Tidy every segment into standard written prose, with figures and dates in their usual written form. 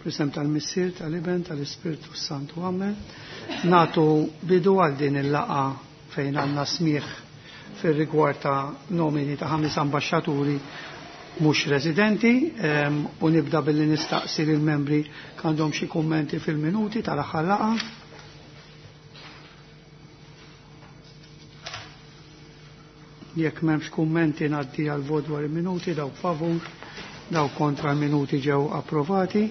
Fl-isem tal-Missier, tal-Iben, tal-Ispirtu Santu. Amen. Natu bidu għal din il-laqa fejn għandna smieħ fir-rigward ta' nomini ta' ħames ambaxxaturi mhux residenti u nibda billi nistaqsi lill membri għandhom xi kummenti fil-minuti tal-aħħar laqa. Jekk m'hemmx kummenti ngħaddi għal vot dwar il-minuti dawk favur, dawk kontra l-minuti ġew approvati.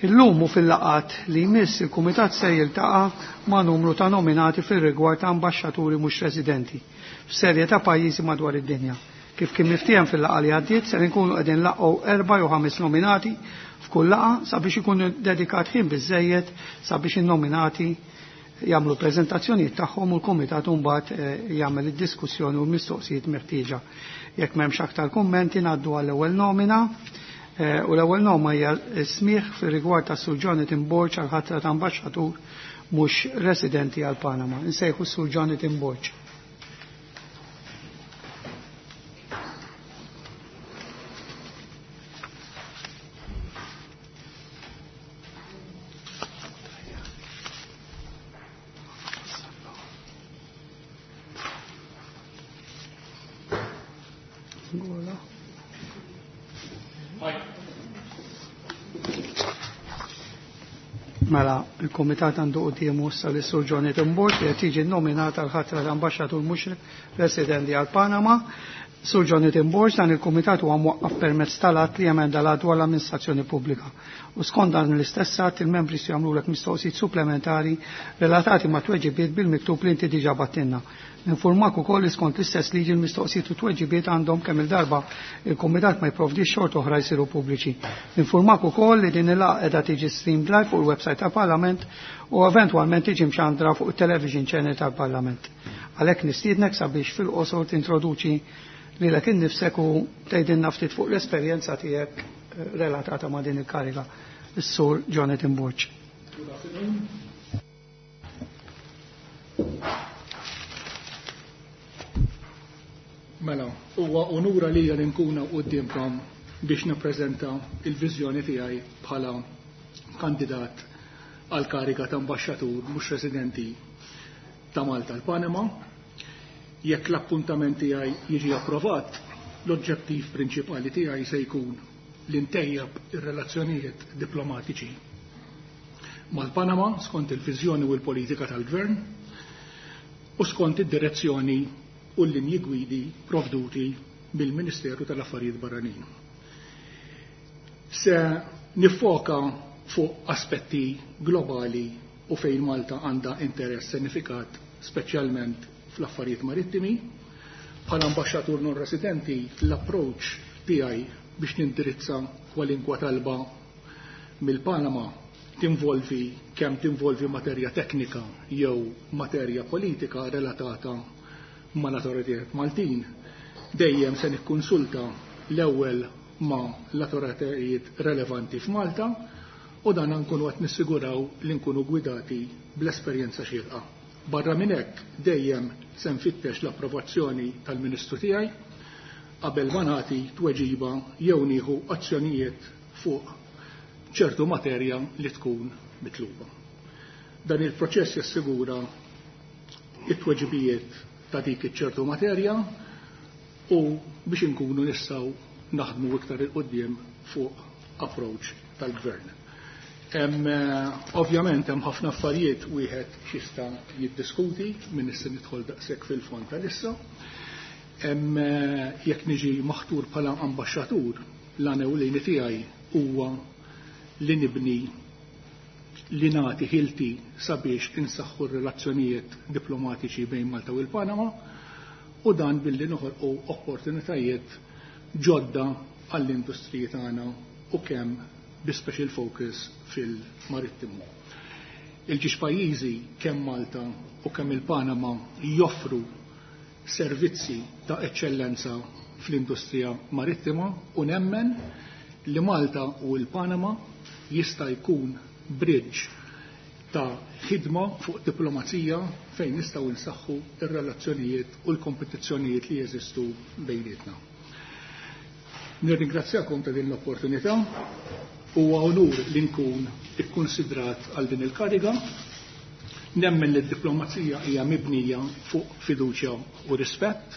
Illum u fil-laqat li jmiss il-Kumitat se jiltaqa' ma' numru ta' nominati fir-rigward ta' ambaxxaturi mhux residenti f'serje ta' pajjiżi madwar id-dinja. Kif kien miftiehem fil-laqgħa li għaddiet ser inkunu qegħdin nlaqqgħu erba' jew ħames nominati f'kull laqgħa sabiex ikun dedikat ħin biżżejjed sabiex in-nominati jagħmlu preżentazzjonijiet tagħhom u l-kumitat mbagħad jagħmel id-diskussjoni u l-mistoqsijiet meħtieġa. Jekk m'hemmx aktar kummenti ngħaddu għall-ewwel nomina. U l-ewwel nomina hija smieħ fir-rigward ta' Sur Jonathan Borg għal ħatra ta' ambaxxatur mhux residenti għal Panama. Insejħu Sur Jonathan Borg. Mela, il-Komitat għandu quddiemu issa lis Sur Jonathan Borg li qed jiġi nominat għal ħatra l-ambaxxatur mhux residenti għal Panama. Sur Jonathan Borg dan il-Kumitat huwa mwaqqaf permezz tal-att li jemenda l dwar l-amministrazzjoni pubblika. U skont dan l-istess att il-membri se jagħmlulek mistoqsijiet supplementari relatati ma' tweġibiet bil-miktub li inti diġà battinna. Ninformak ukoll li skont l-istess liġi l-mistoqsijiet u tweġibiet għandhom kemm il-darba il-Kumitat ma jipprovdix xort oħra jsiru pubbliċi. Ninformak ukoll li din il-laqgħa qiegħda tiġi streamed live fuq il-website tal-Parlament u eventwalment tiġi mxandra fuq it-television channel tal-Parlament. Għalhekk nistiednek sabiex fil-qosor tintroduċi lilek innifsek u tgħidilna ftit fuq l-esperjenza tiegħek relatata ma' din il-kariga. Is-Sur Jonathan Borg. Good afternoon. Mela, huwa onura lija li nkun quddiemkom biex nippreżenta il-viżjoni tiegħi bħala kandidat għal kariga ta' ambaxxatur mhux residenti ta' Malta l-Panama. Jekk l-appuntament tiegħi jiġi approvat, l-oġġettiv prinċipali tiegħi se jkun li ntejjeb ir-relazzjonijiet diplomatiċi mal-Panama skont il-viżjoni u l-politika tal-Gvern u skont id-direzzjoni u l-linji gwidi provduti mill-Ministeru tal-Affarijiet Barranin. Se nifoka fuq aspetti globali u fejn Malta għandha interess sinifikat speċjalment fl-affarijiet marittimi. Bħala ambaxxatur non residenti l-approach tiegħi biex nindirizza kwalinkwa talba mill-Panama tinvolvi kemm tinvolvi materja teknika jew materja politika relatata mal-autoritajiet Maltin. Dejjem se nikkonsulta l-ewwel ma' l-autoritajiet relevanti f'Malta u dan nkunu qed nissiguraw li nkunu gwidati bl-esperjenza xierqa. Barra minn hekk dejjem se nfittex l-approvazzjoni tal-Ministru tiegħi qabel ma nagħti tweġiba jew nieħu azzjonijiet fuq ċertu materja li tkun mitluba. Dan il-proċess jassigura it-tweġibijiet ta' dik iċ-ċertu materja u biex inkunu nistgħu naħdmu iktar il quddiem fuq approach tal-gvern. Ovvjament hemm ħafna affarijiet wieħed xista jiddiskuti minn issa nidħol daqshekk fil-fond tal-issa. Jekk niġi maħtur bħala ambaxxatur, l-għan ewlieni tiegħi huwa li nibni li nagħti ħilti sabiex insaħħu r-relazzjonijiet diplomatiċi bejn Malta u l-Panama u dan billi noħolqu opportunitajiet ġodda għall-industriji tagħna u kemm bi special focus fil-marittimu. Il-ġiex pajjiżi kemm Malta u kemm il-Panama joffru servizzi ta' eċċellenza fl-industrija marittima u nemmen li Malta u l-Panama jista' jkun bridge ta' ħidma fuq diplomazija fejn nistgħu nsaħħu ir-relazzjonijiet u l-kompetizzjonijiet li jeżistu bejnietna. Nirringrazzjakom ta' din l-opportunità. Huwa onur li nkun ikkunsidrat għal din il-kariga. Nemmen li d-diplomazija hija mibnija fuq fiduċja u rispett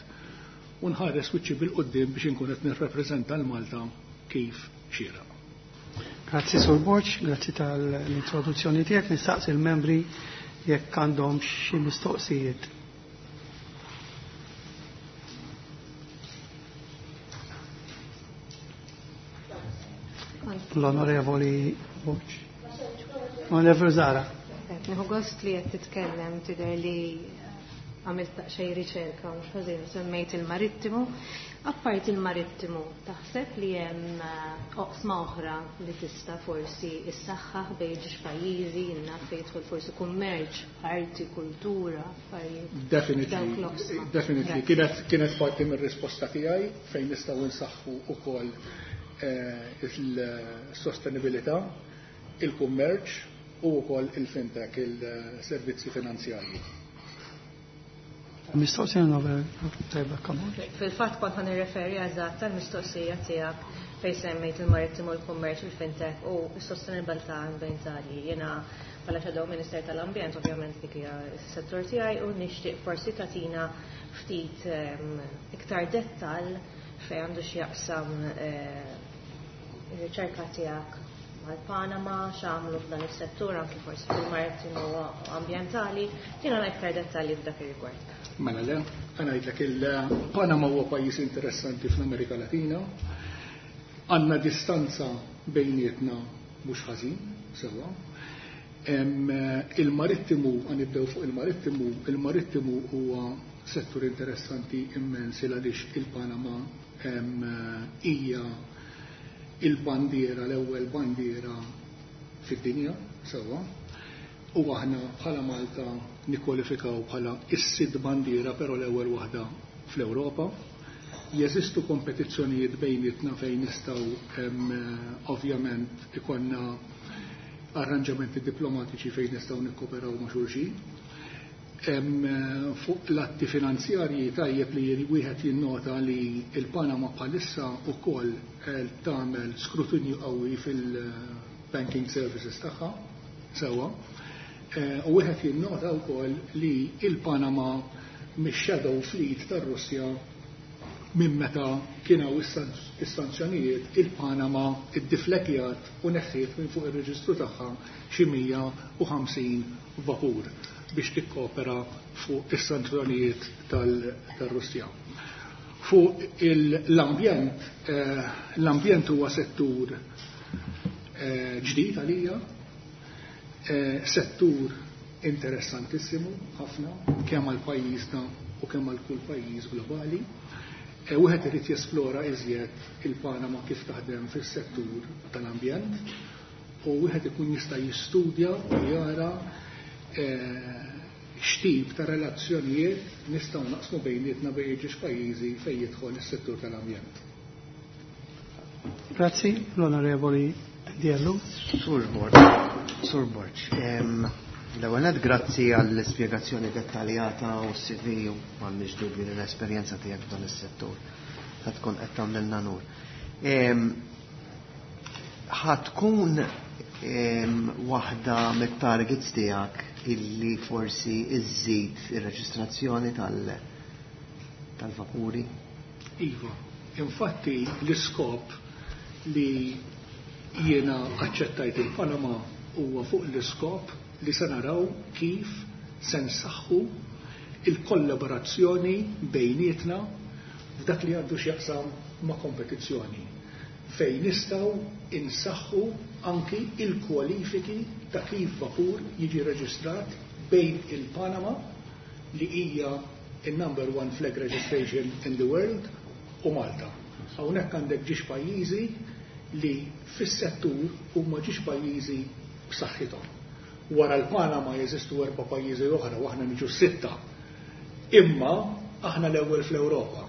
u nħares wiċċi bil-quddiem biex inkun qed nirrappreżenta l-Malta kif xieraq. Grazzi Sur Borg, grazzi tal-introduzzjoni tiegħek. Nistaqsi l-membri jekk għandhom xi mistoqsijiet. L-Onorevoli Borg. Onorevoli Zara. Nieħu gost li qed titkellem, tidher li għamilt daqsxejn riċerka mhux ħażin, semmejt il-marittimu. Apparti il-marittimu, taħseb li hemm oqsma oħra li tista' forsi issaħħaħ bejn ġiex pajjiżi, naf fejn jidħol forsi kummerċ, arti, kultura, affarijiet. Definitely, Dawk l-oqsma. definitely. Grazzi. Kienet parti mir-risposta tiegħi fejn nistgħu nsaħħu wkoll il-sostenibilità, il-kummerċ u wkoll il-fintech, il-servizzi finanzjarji. Mistoqsija nove, tajba, come on. Fil-fatt kont ħa nirreferi eżatt tal-mistoqsija tiegħek fejn semmejt il-marittimu, il-kummerċ, il-fintech u s-sostenibilità ambjentali. Jiena bħala Shadow Minister tal-Ambjent, ovvjament dik hija s-settur tiegħi u nixtieq forsi tagħtina ftit iktar dettall fejn għandu x'jaqsam ir-riċerka tiegħek mal-Panama, x'għamlu f'dan is-settur anki forsi fil-marittimu u ambjentali, tina iktar dettalji f'dak ir-rigward. Mela le, ngħidlek il-Panama huwa pajjiż interessanti fl-Amerika Latina. Għandna distanza bejnietna mhux ħażin, sewwa. Il-marittimu, nibdew fuq il-marittimu, il-marittimu huwa settur interessanti immens għaliex il-Panama hija il-bandiera, l-ewwel bandiera fid-dinja, sewwa. U aħna bħala Malta nikkwalifikaw bħala is-sid bandiera, però l-ewwel waħda fl-Ewropa. Jeżistu kompetizzjonijiet bejnietna fejn nistgħu ovvjament ikollna arranġamenti diplomatiċi fejn nistgħu nikkoperaw ma' xulxin. Fuq l-atti finanzjarji tajjeb li wieħed jinnota li il-Panama bħalissa wkoll tagħmel skrutinju qawwi fil-banking services tagħha sewwa. U wieħed jinnota wkoll li il-Panama mix-shadow fleet tar-Russja minn meta kien hawn is-sanzjonijiet, il-Panama iddiflekjat u neħħiet minn fuq ir-reġistru tagħha xi 150 vapur biex tikkopera fuq is-sanzjonijiet tar-Russja. Fuq l-ambjent huwa settur ġdid għalija, settur interessantissimu ħafna kemm għal pajjiżna u kemm għal kull pajjiż globali. Wieħed irid jesplora iżjed il-Panama kif taħdem fis-settur tal-ambjent u wieħed ikun jista' jistudja u jara x'tip ta' relazzjonijiet nistgħu naqsmu bejnietna bejn ġiex pajjiżi fejn jidħol is-settur tal-ambjent. Grazzi, l-Onorevoli Diellu. Sur Borg, Sur Borg, l-ewwel nett grazzi għall-ispjegazzjoni dettaljata u s-CV u m'għandniex dubju li l-esperjenza tiegħek f'dan is-settur ta' tkun qed tagħmlilna nur. Ħa tkun waħda mit-targets tiegħek illi forsi iżżid ir-reġistrazzjoni tal-vapuri? Iva, infatti l-iskop li jiena aċċettajt il-Panama huwa fuq l-iskop li se naraw kif se nsaħħu il-kollaborazzjoni bejnietna f'dak li għandu x'jaqsam ma' kompetizzjoni, fejn nistgħu insaħħu anki il-kwalifiki ta' kif vapur jiġi reġistrat bejn il-Panama, li hija il-number one flag registration in the world, u Malta. Hawnhekk għandek ġiex pajjiżi li fis-settur huma ġiex pajjiżi b'saħħithom. Wara l-Panama jeżistu 4 pajjiżi oħra u aħna niġu 6. Imma aħna l-ewwel fl-Ewropa.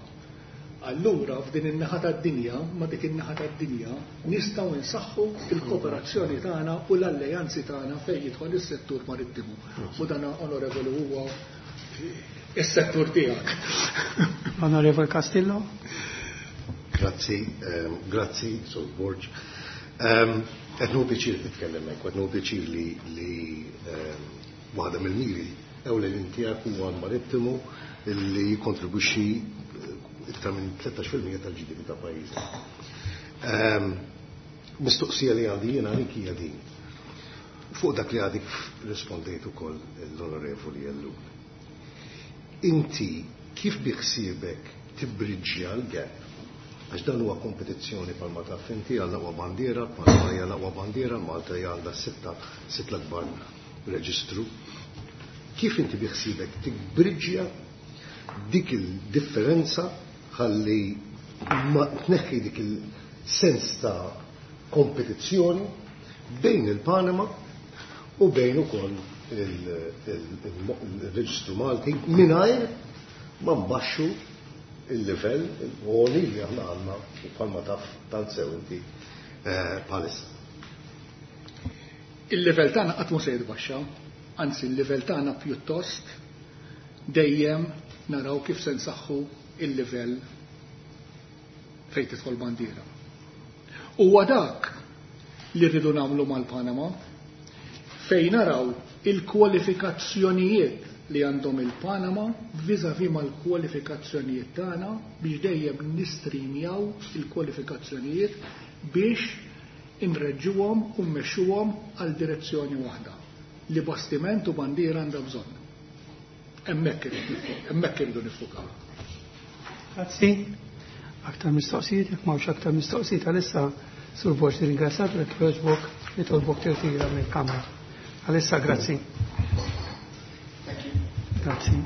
Allura f'din in-naħa tad-dinja, ma dik in-naħa tad-dinja, nistgħu nsaħħu il-kooperazzjoni tagħna u l-alleanzi tagħna fejn jidħol is-settur marittimu. U dan, onorevoli, huwa is-settur tiegħek. Onorevoli Castillo. Grazzi, grazzi, Sur Borg. Qed nieħu pjaċir nitkellem hekk, qed nieħu pjaċir li li waħda mill-miri ewlenin tiegħek huwa l-marittimu li jikkontribwixxi iktar minn 13% tal-GDP ta' pajjiżna. Mistoqsija li għandi jiena għalik hija din. Fuq dak li għadik rispondejt ukoll l-Onorevoli Ellul. Inti kif biħsiebek tibbriġġja l-gap? Għax dan huwa kompetizzjoni bħalma taf inti għal aqwa bandiera, Panama hija l-aqwa bandiera, Malta hija għandha sitta sitt l-akbar reġistru. Kif inti biħsiebek tibbriġġja dik il-differenza ħalli ma tneħħi dik il-sens ta' kompetizzjoni bejn il-Panama u bejn ukoll il-reġistru Malti mingħajr ma nbaxxu il-livell għoli li aħna għandna bħalma taf tant sew inti bħalissa. Il-livell tagħna qatt mhu se jitbaxxa, anzi il-livell tagħna pjuttost dejjem naraw kif se nsaħħu il-livell fejn tidħol bandiera. Huwa dak li rridu nagħmlu mal-Panama fejn naraw il-kwalifikazzjonijiet li għandhom il-Panama vis-à-vis mal-kwalifikazzjonijiet tagħna biex dejjem nistrimjaw il-kwalifikazzjonijiet biex inreġġuhom u mmexxuhom għal direzzjoni waħda li bastiment u bandiera għandha bżonn. Hemmhekk irridu niffukaw. Grazzi. Aktar mistoqsijiet, jekk m'hawnx aktar mistoqsijiet għalissa Sur Borg nirringrazzjak u jekk jogħġbok nitolbok tirtira mill-Kamra. Għalissa grazzi. Grazzi.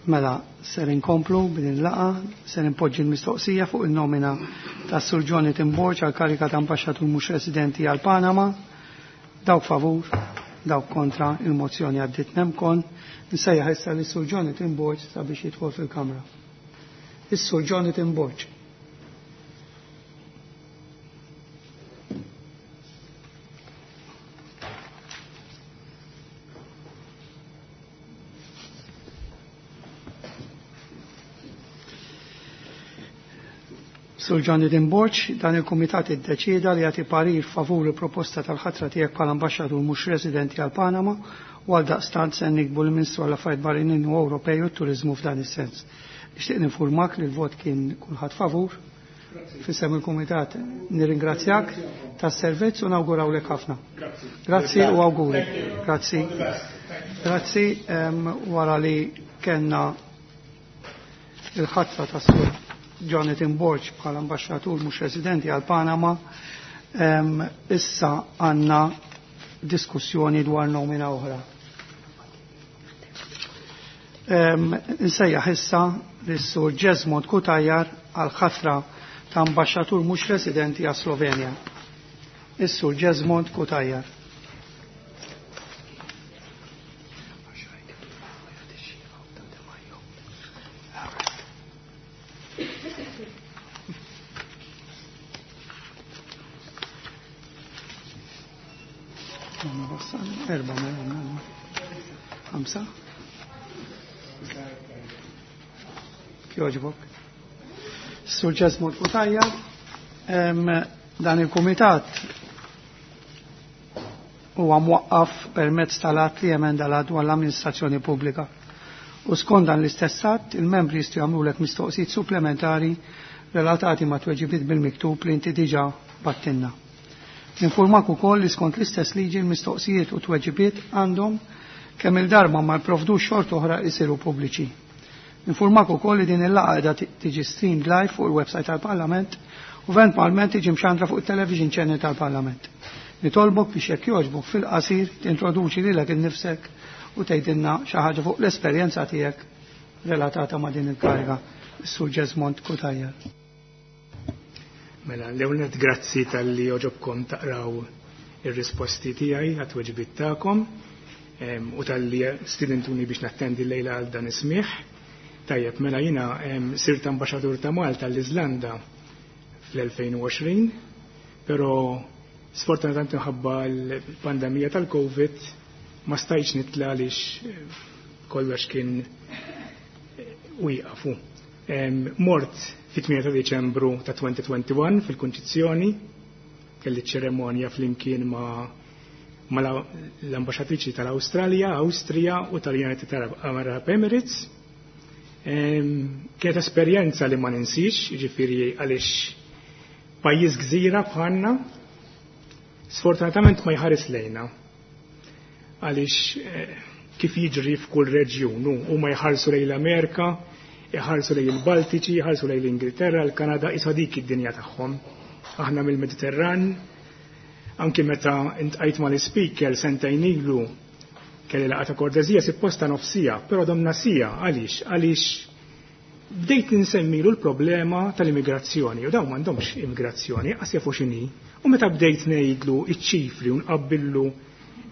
Mela, ser inkomplu b'din il-laqgħa, ser inpoġġi l-mistoqsija fuq il-nomina ta' Sur Jonathan Borg għal karika ta' ambaxxatur mhux residenti għal Panama. Dawk favur, dawk kontra, il-mozzjoni għaddiet nemkon. Nsejjaħ issa lis Sur Jonathan Borg sabiex jidħol fil-Kamra. Is-Sur Jonathan Borg. Sur Jonathan Borg, dan il-Kumitat iddeċieda li jagħti parir favur il-proposta tal-ħatra tiegħek bħala ambaxxatur mhux residenti għal Panama u għal daqstant se nikbu l-Ministru għall Affarijiet Barranin u Ewropej u t-Turiżmu f'dan is-sens. Nixtieq ninfurmak li l-vot kien kulħadd favur. F'isem il-Kumitat nirringrazzjak tas-servizz u nawgurawlek ħafna. Grazzi u awguri. Grazzi. Grazzi wara li kellna il-ħatra tas-Sur Jonathan Borg bħala ambaxxatur mhux residenti għal Panama, issa għandna diskussjoni dwar nomina oħra. Nsejjaħ issa lis-Sur Jesmond Cutajar għal ħatra ta' ambaxxatur mhux residenti għal Slovenja. Is-Sur Jesmond Cutajar. Erba, ħamsa. Kjoġbok. Sur Jesmond Cutajar, dan il-kumitat huwa mwaqqaf permezz tal-att li emenda l-att dwar l-amministrazzjoni pubblika. U skont dan l-istess att, il-membri jistgħu jagħmlulek mistoqsijiet supplementari relatati ma' tweġibiet bil-miktub li inti diġà battinna. Ninformak ukoll li skont l-istess liġi l-mistoqsijiet u tweġibiet għandhom kemm il-darba ma jprovdux xort oħra jsiru pubbliċi. Ninformak ukoll li din il-laqgħa qiegħda tiġi streamed live fuq il-website tal-Parlament u eventwalment tiġi mxandra fuq it-television channel tal-Parlament. Nitolbok biex jekk jogħġbok fil-qasir tintroduċi lilek innifsek u tgħidilna xi ħaġa fuq l-esperjenza tiegħek relatata ma' din il-kariga. Is-Sur Jesmond Cutajar. Mela, l-ewwel nett grazzi tal-li oġobkom taqraw ir-risposti tiegħi għat-tweġibiet tagħkom. u talli stidentuni biex nattendi lejla għal dan is-smigħ. Tajjeb, mela jiena sirt ambaxxatur ta' Malta l-Iżlanda fl-2020, però sfortunatament minħabba l-pandemija tal-Covid ma stajtx nitla għaliex kollox kien wieqafu. Mort fit-8 ta' Diċembru ta' 2021 fil-Kunċizzjoni, kelli ċeremonja flimkien ma' l-ambaxxatriċi tal-Awstralja, Awstrija u tal-United Arab Emirates. Kienet esperjenza li ma ninsix, jiġifieri għaliex pajjiż gżira bħalna, sfortunatament ma jħares lejna. Għaliex kif jiġri f'kull reġjun, huma jħarsu lejn l-Amerika, jħarsu lejn il-Baltiċi, jħarsu lejn l-Ingilterra, l-Kanada, isa dik id-dinja tagħhom. Aħna mill-Mediterran, anki meta intqajt mal-ispeaker sentejn ilu kelli laqgħa ta' kortesija supposta nofsija, però domna sija, għaliex? Għaliex bdejt nsemmilu l-problema tal-immigrazzjoni, u dawn m'għandhomx immigrazzjoni, qas jafu x'inhi. U meta bdejt ngħidlu iċ-ċifri u nqabbillu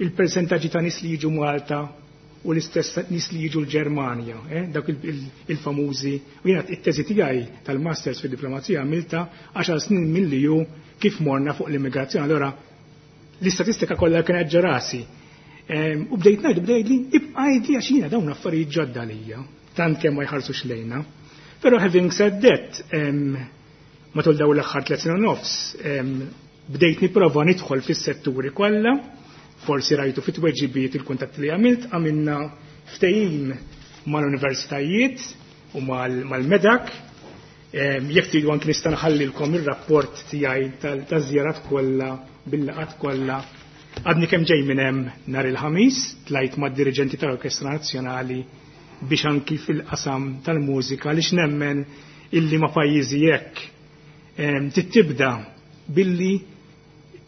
il-persentaġġi ta' nies li jiġu Malta u l-istess nies li jiġu l-Ġermanja, dak il-famużi, u jiena it-teżi tiegħi tal-Masters fid-diplomazija għamilta 10 snin milli ju kif morna fuq l-immigrazzjoni. Allora l-istatistika kollha kienet ġerasi. U bdejt ngħidu, bdejt li ibqa' għidli għax jiena dawn affarijiet ġodda lija, tant kemm ma jħarsux lejna. Però having said that, matul dawn l-aħħar 3 snin u nofs, bdejt nipprova nidħol fis-setturi kollha, forsi rajtu fit-tweġibiet il-kuntatti li għamilt, għamilna ftehim mal-universitajiet u mal-medak. Jekk tridu anki nista' nħallilkom ir-rapport tiegħi taż-żjarat kollha bil-laqat kollha. Għadni kemm ġej minn hemm nhar il-Ħamis, tlajt mad-diriġenti tal-Orkestra Nazzjonali biex anki fil-qasam tal-mużika għaliex nemmen illi ma' pajjiżi hekk titibda billi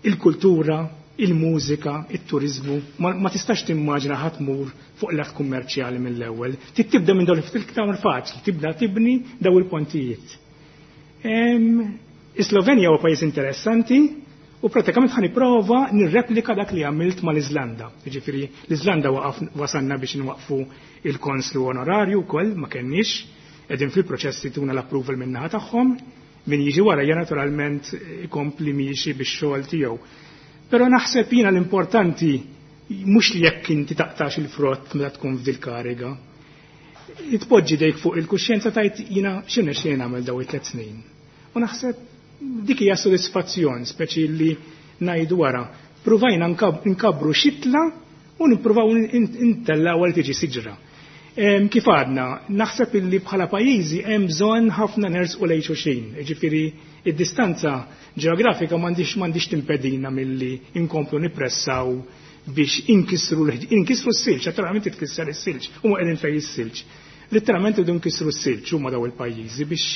il-kultura, il-mużika, it-turizmu, ma tistax timmaġina ħadd tmur fuq l-art kummerċjali mill-ewwel. Tibda minn dawn il-ftit faċli, tibda tibni daw il-pontijiet. Is-Slovenja huwa pajjiż interessanti u pratikament ħa nipprova nirreplika dak li għamilt mal-Iżlanda. Jiġifieri l-Iżlanda wasalna biex nwaqfu il-konslu onorarju wkoll ma kenniex, qegħdin fil-proċess li tuna l-approval min-naħa tagħhom, min jiġi wara hija naturalment ikompli miexi bix-xogħol tiegħu. Però naħseb jiena l-importanti mhux li jekk inti taqtax il-frott meta tkun f'dil kariga. Tpoġġi dejk fuq il-kuxjenza tajt jiena x'inhu xejn nagħmel daw it-tliet snin. U naħseb dik hija sodisfazzjon speċi li ngħidu wara. Pruvajna nkabbru xitla u nippruvaw intellaw għal tiġi siġra. Kif għadna, naħseb illi bħala pajjiżi hemm bżonn ħafna nersqu lejn xulxin. Jiġifieri id-distanza ġeografika m'għandix timpedina milli inkomplu nippressaw biex inkissru s-silġ, naturalment titkisser is-silġ, huma qegħdin fejn is-silġ. Letteralment irridu nkissru s-silġ huma daw il-pajjiżi biex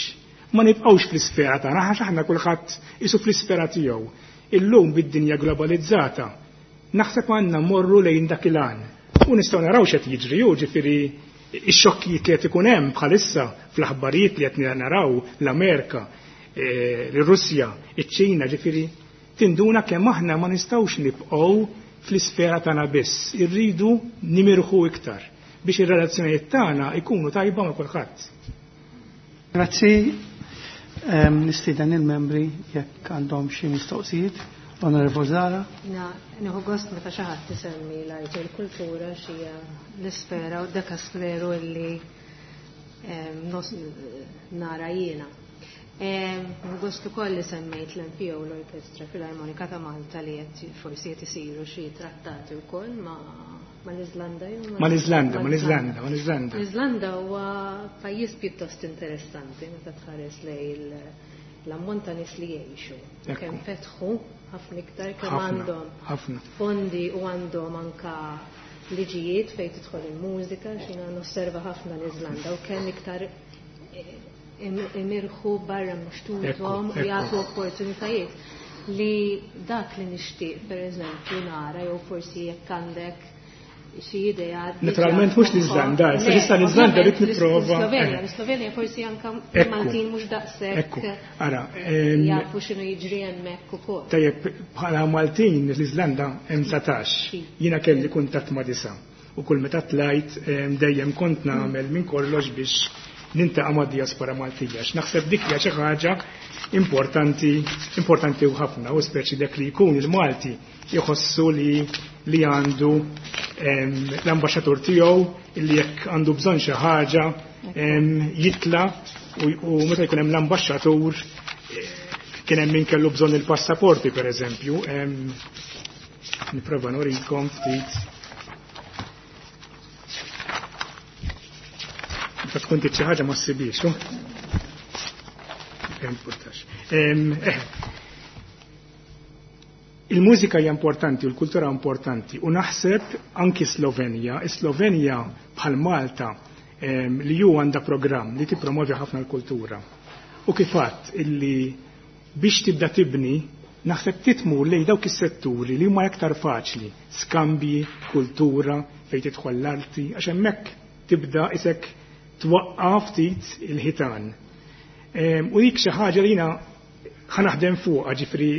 ma nibqgħux fl-isfera tagħna għax aħna kulħadd isu fl-isfera tiegħu. Illum bid-dinja globalizzata naħseb għandna mmorru lejn dak il-għan. U nistgħu naraw x'qed jiġri, hu ġifieri ix-xokkijiet li qed ikun hemm bħalissa fl-aħbarijiet li qed naraw l-Amerika, l-Russja, iċ-Ċina, ġifieri tinduna kemm aħna ma nistgħux nibqgħu fl-isfera tagħna biss, irridu nimirħu iktar biex ir-relazzjonijiet tagħna jkunu tajba ma' kulħadd. Grazzi. Nistieden il-membri jekk għandhom xi mistoqsijiet. Onorevole Zara. Nieħu gost meta xi ħadd isemmi l-arti u l-kultura xija l-isfera u dekasteru illi nara jiena. Nieħu gost ukoll li semmejt l-MPO l-Orkestra Filarmonika ta' Malta li qed forsi qed isiru xi trattati wkoll mal-Iżlanda jew ma' Mal-Iżlanda, mal-Iżlanda, mal-Iżlanda. L-Iżlanda huwa pajjiż pjuttost interessanti meta tħares lejn l-ammont ta' nies li jgħixu. Kemm fetħu ħafna iktar kemm għandhom fondi u għandhom anka liġijiet fejn tidħol il-mużika, x'jiena nosserva ħafna l-Iżlanda u kemm iktar imirħu barra mxtutom u jagħtu opportunitajiet li dak li nixtieq pereżempju nara jew forsi jekk għandek xi idea. Naturalment mhux l-Iżlanda, issa issa l-Iżlanda rrid nipprova. Slovenja, l-Slovenja forsi anke Maltin mhux daqshekk. Ara, jafu x'inhu jiġri hemmhekk ukoll. Tajjeb, bħala Maltin l-Iżlanda hemm 19. Jiena kelli kuntatt ma' 9. U kull meta tlajt dejjem kont nagħmel minn kollox biex nintaqa' mad-diaspora Maltija. Naħseb dik hija xi ħaġa importanti, importanti u ħafna, u speċi dak li jkun il-Malti jħossu li għandu l-ambaxxatur tiegħu li jekk għandu bżonn xi ħaġa jitla u meta jkun hemm l-ambaxxatur kien hemm min kellu bżonn il-passaporti pereżempju. Nipprova nurikom ftit. Meta tkun xi ħaġa ma ssibix. Importax. Il-mużika hija importanti u l-kultura importanti u naħseb anki Slovenja, Slovenja bħal Malta li ju għandha programm li tippromovi ħafna l-kultura. U kif għadt illi biex tibda tibni naħseb titmur lejn dawk is-setturi li huma aktar faċli, skambji, kultura, fejn tidħol l-arti, għax hemmhekk tibda isek twaqqaf ftit il-ħitan. U dik xi ħaġa li jiena ħa naħdem fuqha, ġifieri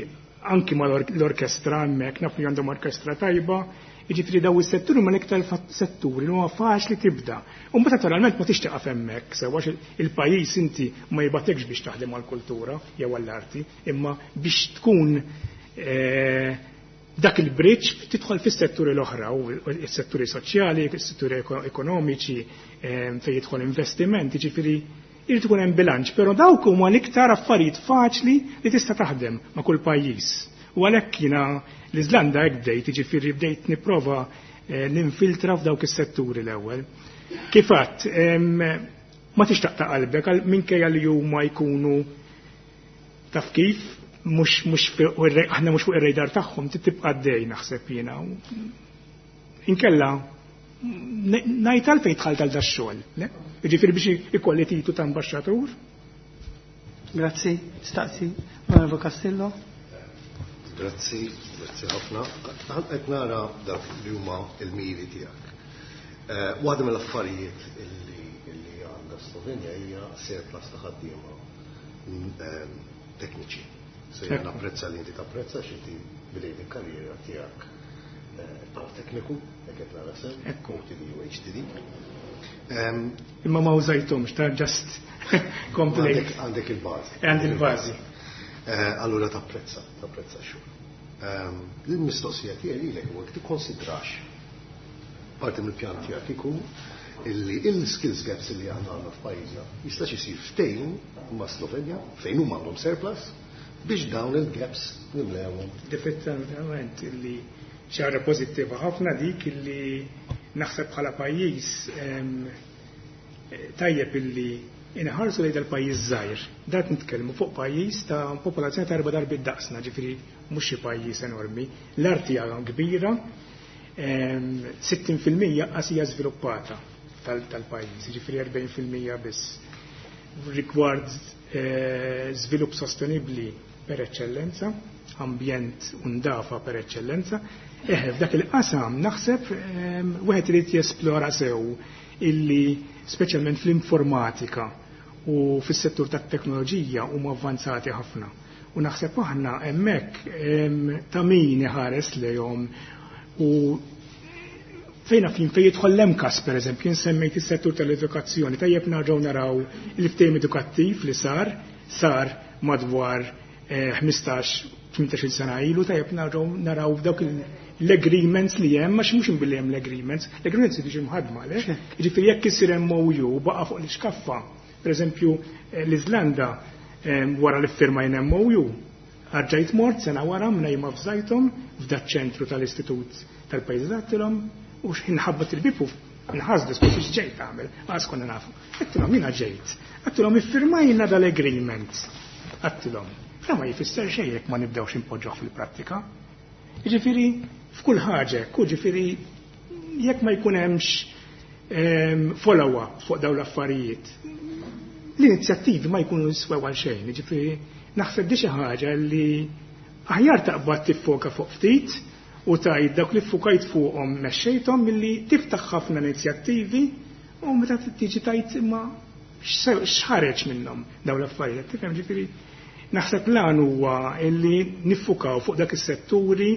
anki ma l-orkestra hemmhekk, naf li għandhom orkestra tajba, jiġifieri daw is-setturi huma l-iktar setturi li huma faċli tibda. U mbagħad naturalment ma tix tieqaf hemmhekk, sewa il-pajjiż inti ma jibatekx biex taħdem għall-kultura jew għall-arti, imma biex tkun dak il-bridge tidħol fis-setturi l-oħra, u s-setturi soċjali, s-setturi ekonomiċi, fejn jidħol investiment, jiġifieri irid ikun hemm bilanċ, però dawk huma l-iktar affarijiet faċli li tista' taħdem ma' kull pajjiż. U għalhekk jiena l-Iżlanda hekk bdejt, jiġifieri bdejt nipprova ninfiltra f'dawk is-setturi l-ewwel. Kif għadt, ma tixtaq ta' qalbek għal minkejja li huma jkunu taf kif, aħna mhux fuq ir-radar tagħhom, tibqa' għaddej naħseb jiena. Inkella ngħid għalfejn dħalt għal dax-xogħol, le? Jiġifieri biex ikolli titu ta' ambaxxatur. Grazzi, staqsi, Onorevole Castillo. Grazzi, grazzi ħafna. Qed nara dak li huma l-miri tiegħek. Waħda mill-affarijiet illi għandha Slovenja hija surplus ta' ħaddiema tekniċi. So jiena napprezza li inti tapprezza x'inti bdejt il-karriera tiegħek bħala tekniku, jekk qed nara sew, OTD u HTD. Imma ma użajthomx, ta' just complete. Għandek il-bażi. Għandi il-bażi. Allura tapprezza x-xogħol. Il-mistoqsija tiegħi lilek huwa tikkonsidrax parti mill-pjan tiegħek ikun illi il-skills gaps li aħna għandna f'pajjiżna jistax isir ftehim ma' Slovenja fejn huma għandhom surplus biex dawn il-gaps nimlewhom. Definitivament illi xi ħaġa pożittiva ħafna dik illi naħseb bħala pajjiż tajjeb illi inħarsu lejn dal-pajjiż żgħir. Dat nitkellmu fuq pajjiż ta' popolazzjoni ta' 4 darbiet daqsna, ġifieri mhux xi pajjiż enormi. L-art hija kbira, 60% qas hija żviluppata tal-pajjiż, ġifieri 40% biss. Rigward żvilupp sostenibbli per eċċellenza, ambjent u ndafa per eċċellenza, f'dak il-qasam naħseb wieħed irid jesplora sew illi speċjalment fl-informatika u fis-settur tat-teknoloġija huma avvanzati ħafna. U naħseb aħna hemmhekk ta' min iħares lejhom u fejn fin fejn jidħol l-MCAST pereżempju, jien semmejt is-settur tal-edukazzjoni, tajjeb nerġgħu naraw il-ftehim edukattiv li sar madwar 15-18 sena ilu, tajjeb nerġgħu naraw dawk l-agreements li hemm, għax mhux billi hemm l-agreements, l-agreements jiġu mħadma, le? Jiġifieri jekk isir MOU baqa' fuq l-iskaffa, pereżempju l-Iżlanda wara li ffirmajna MOU, Arġajt mort sena wara mnejma f'żajthom f'dat ċentru tal-Istitut tal-Pajjiż għattilhom u x'inħabbat il-bieb u nħasdu skont x'ġejt tagħmel, għax konna nafu. Għattilhom jiena ġejt. Għattilhom iffirmajna dal-agreement. Għattilhom. Fra ma jfisser xejn jekk ma nibdewx impoġġuh fil-prattika. Jiġifieri f'kull ħaġa, jiġifieri jekk ma jkun hemmx follow-up fuq dawn l-affarijiet, l-inizjattivi ma jkunu jiswew għal xejn, jiġifieri naħseb di xi ħaġa li aħjar taqbad tiffoka fuq ftit u tajt dak li ffukajt fuqhom mexxejthom milli tiftaħ ħafna inizjattivi u meta tiġi tajt imma x'ħareġ minnhom dawn l-affarijiet. Tifhem ġifieri naħseb lan huwa illi niffukaw fuq dak is-setturi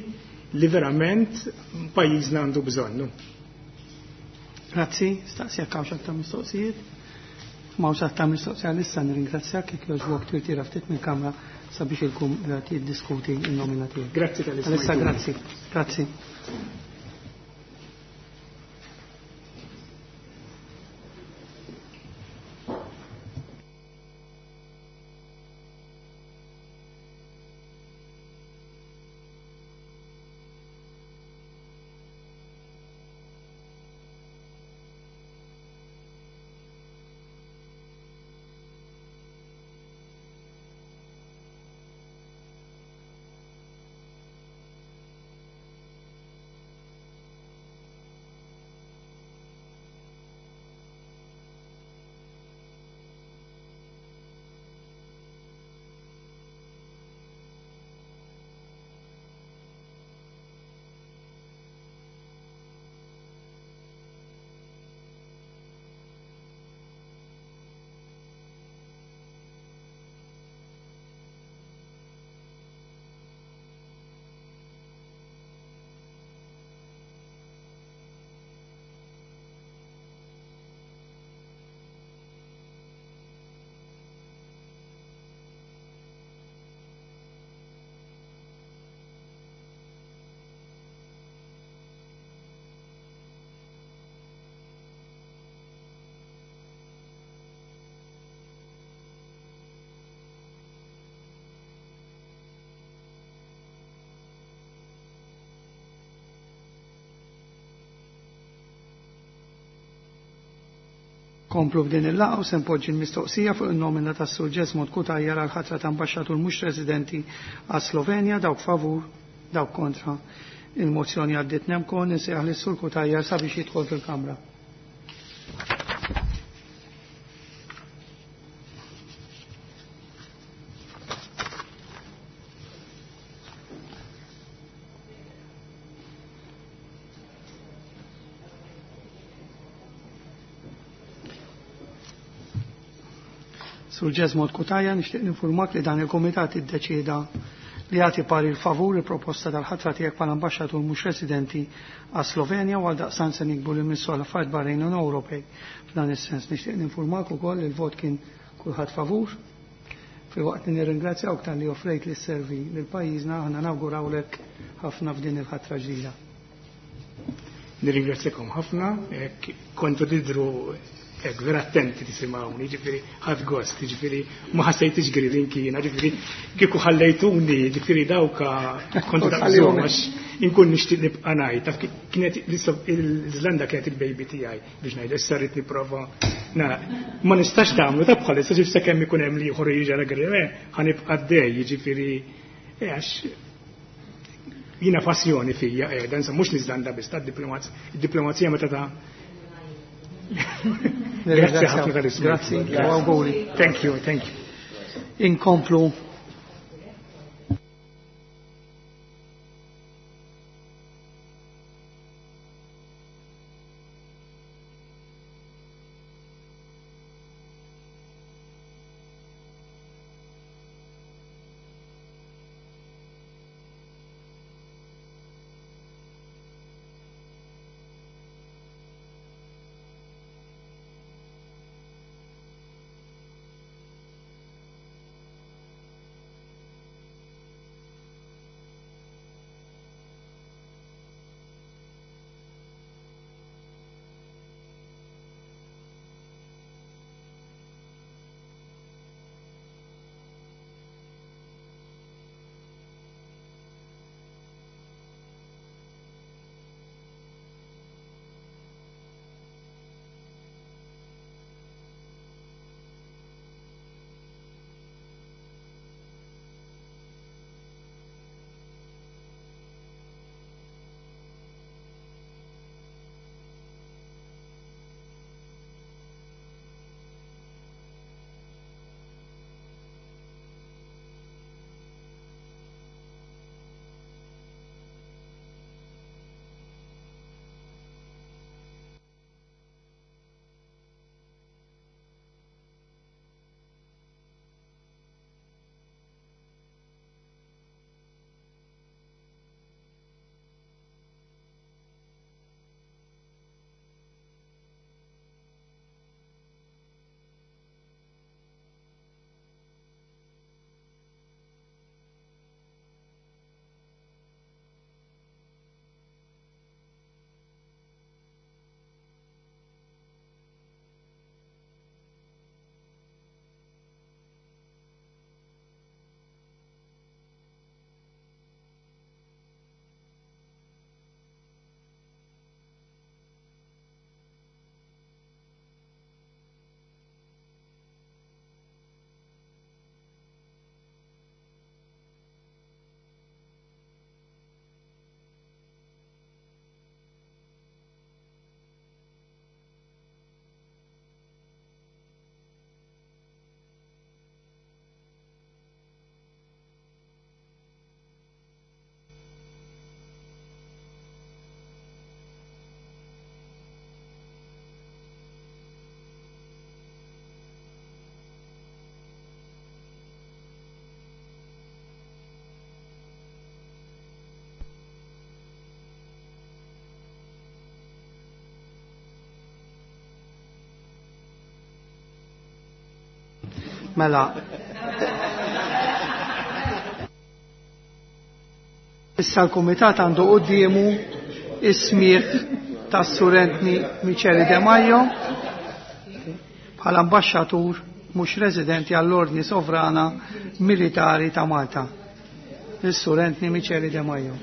li verament pajjiżna għandu bżonnu. Grazzi, staqsi jekk hawnx aktar mistoqsijiet. M'hawnx aktar mistoqsija issa nirringrazzjak jekk jogħġbok tirtira ftit mill-kamra sabiex il-kumitat jiddiskuti n-nomina tiegħek. Grazzi tal Issa grazzi. Grazzi. Komplu b'din il-laqgħa u se npoġġi l-mistoqsija fuq in-nomina tas-Sur Jesmond Cutajar għal ħatra ta' ambaxxatur mhux residenti għas Slovenja dawk favur, dawk kontra. Il-mozzjoni għaddiet nemkon insejjaħ lis-Sur Cutajar sabiex jidħol fil-Kamra. Sur Jesmond Cutajar, nixtieq ninfurmak li dan il-Kumitat iddeċieda li jagħti parir favur il-proposta tal-ħatra tiegħek bħala ambaxxatur mhux residenti għas Slovenja u għaldaqstant se nikbu lil Ministru għal Affarijiet Barranin u Ewropej. F'dan is-sens nixtieq ninfurmak ukoll li l-vot kien kulħadd favur. Filwaqt li nirringrazzjawk talli offrejt li sservi lil pajjiżna aħna nawgurawlek ħafna f'din il-ħatra ġdida. Nirringrazzjakom ħafna, kontu tidru hekk vera attenti tisimgħuni, ġifieri ħadd gost, ġifieri ma ħassejtix gridin kiena, ġifieri kieku ħallejtuni, ġifieri dawka kontu daqshom għax inkun nixtieq nibqa' ngħid. Taf kienet l-Iżlanda kienet il-baby tiegħi biex ngħid issa rrid nipprova ma nistax tagħmlu ta' bħalissa ġif sakemm ikun hemm li ieħor jiġi għal ħanibqa' dej, jiġifieri għax jiena passjoni fija qiegħda, insomma mhux l-Iżlanda biss tad-diplomazija meta ta' Grazie ħafna tal-isma. Grazzi, u auguri. Thank you, thank you. Inkomplu. Mela. Issa l-Kumitat għandu quddiemu is-smigħ tas-Sur Anthony Miceli De Maio bħala ambaxxatur mhux residenti għall-Ordni Sovrana Militari ta' Malta. Is-Sur Anthony Miceli De Maio.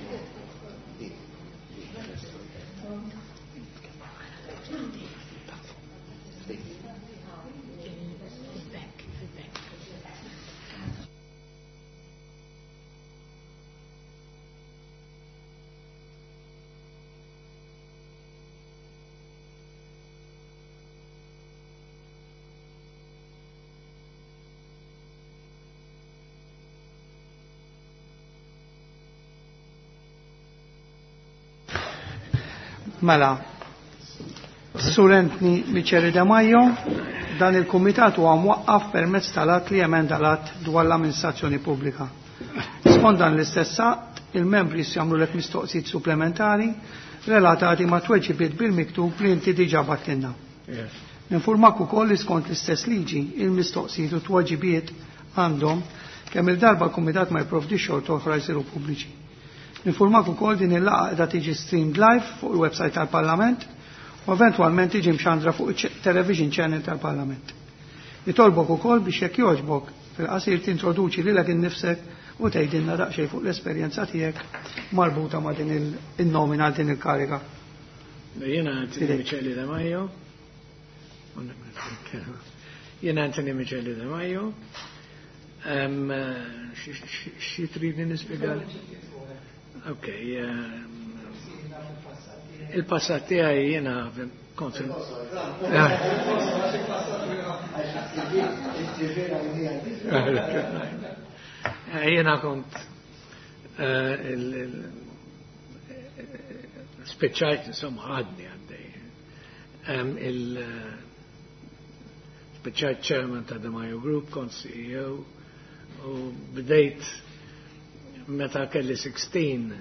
Mela, Sur Anthony Miceli De Maio, dan il-kumitat huwa mwaqqaf permezz tal-att li emenda l-att dwar l-amministrazzjoni pubblika. Skont dan l-istess att, il-membri jagħmlulek mistoqsijiet supplementari relatati ma' tweġibiet bil-miktub li inti diġà bagħtilna. Ninfurmak ukoll li skont l-istess liġi, il-mistoqsijiet u tweġibiet għandhom kemm il-darba l-kumitat ma jipprovdix xorta oħra jsiru pubbliċi. Ninfurmak ukoll din il-laqgħa qiegħda tiġi streamed live fuq il-website tal-Parlament u eventwalment tiġi mxandra fuq il-television channel tal-Parlament. Nitolbok ukoll biex jekk jogħġbok fil-qasir tintroduċi lilek innifsek u tgħidilna daqsxejn fuq l-esperjenza tiegħek marbuta ma' din il-nomina għal din il-kariga. Jiena Anthony Miceli De Maio. Jiena Anthony Miceli De Maio. Xi tridni nispjegali? Ok. Il-passat tiegħi jiena kont fil- Jiena kont spiċċajt, insomma, għadni għaddej. Spiċċajt chairman ta' The Mayo Group, kont CEO, u bdejt meta kelli 16,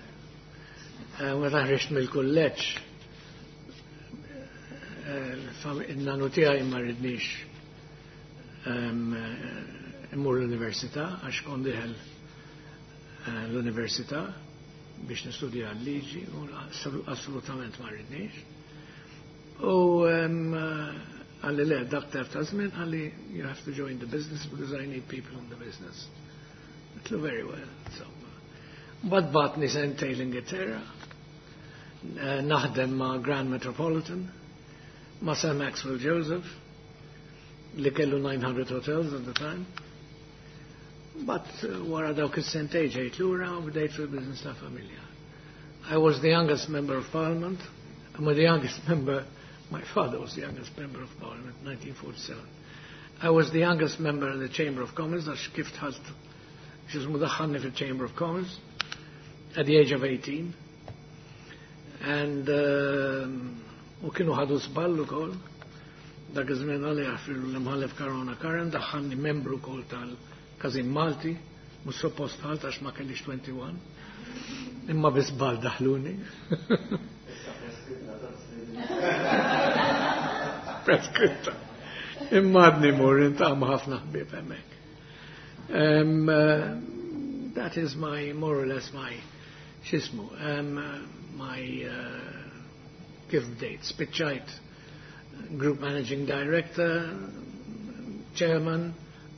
meta ħriġt mill-kulleġġ, il-nanu tiegħi ma ridnix immur l-università, għax kont dieħel l-università biex nistudja l-liġi, u assolutament ma ridnix. U qalli le, dak tef ta' żmien, qalli you have to join the business because I need people in the business. Għedtlu very well, insomma. Mbagħad bagħatni sentejn l-Ingilterra, naħdem ma' Grand Metropolitan, ma' Sir Maxwell Joseph, li kellu 900 hotels at the time. But wara dawk is-sentejn ġejt lura u bdejt fil-business ta' familja. I was the youngest member of parliament. I'm the youngest member, my father was the youngest member of parliament, 1947. I was the youngest member in the Chamber of Commerce, għax kif dħalt, x'jismu daħħalni fil-Chamber of Commerce, at the age of 18. And u kienu ħadu żball ukoll, dak iż-żmien għalli jaħfirlu l-imħallef Caruana Curran, daħħalni membru wkoll tal-Każin Malti, mhux suppost dħalt għax ma kellix 21, imma bi żball daħluni. Preskritta. Imma għadni mur, niltaqa' ma' ħafna ħbieb hemmhekk. That is my, more or less my, x'jismu, my, kif bdejt, spiċċajt Group Managing Director, Chairman,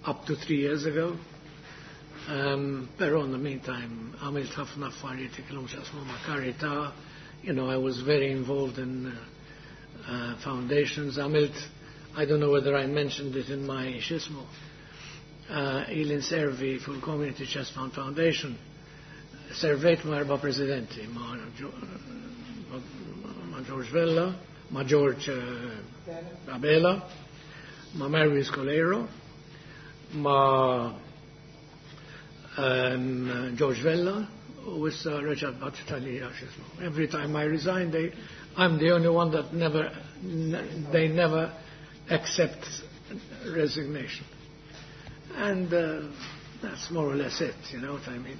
up to 3 years ago. Pero in the meantime, għamilt ħafna affarijiet li kellhom x'jaqsmu ma' karità. I was very involved in foundations. Għamilt, I don't know whether I mentioned it in my x'jismu, ili nservi fil-Community Chest Fund Foundation. Servejt ma' erba' presidenti, ma' George Vella, ma' George Abela, ma' Mary Coleiro, ma' George Vella, u issa Richard Battaglia, x'jismu. Every time I resign, I'm the only one that never, they never accept resignation. And that's more or less it, you know what I mean?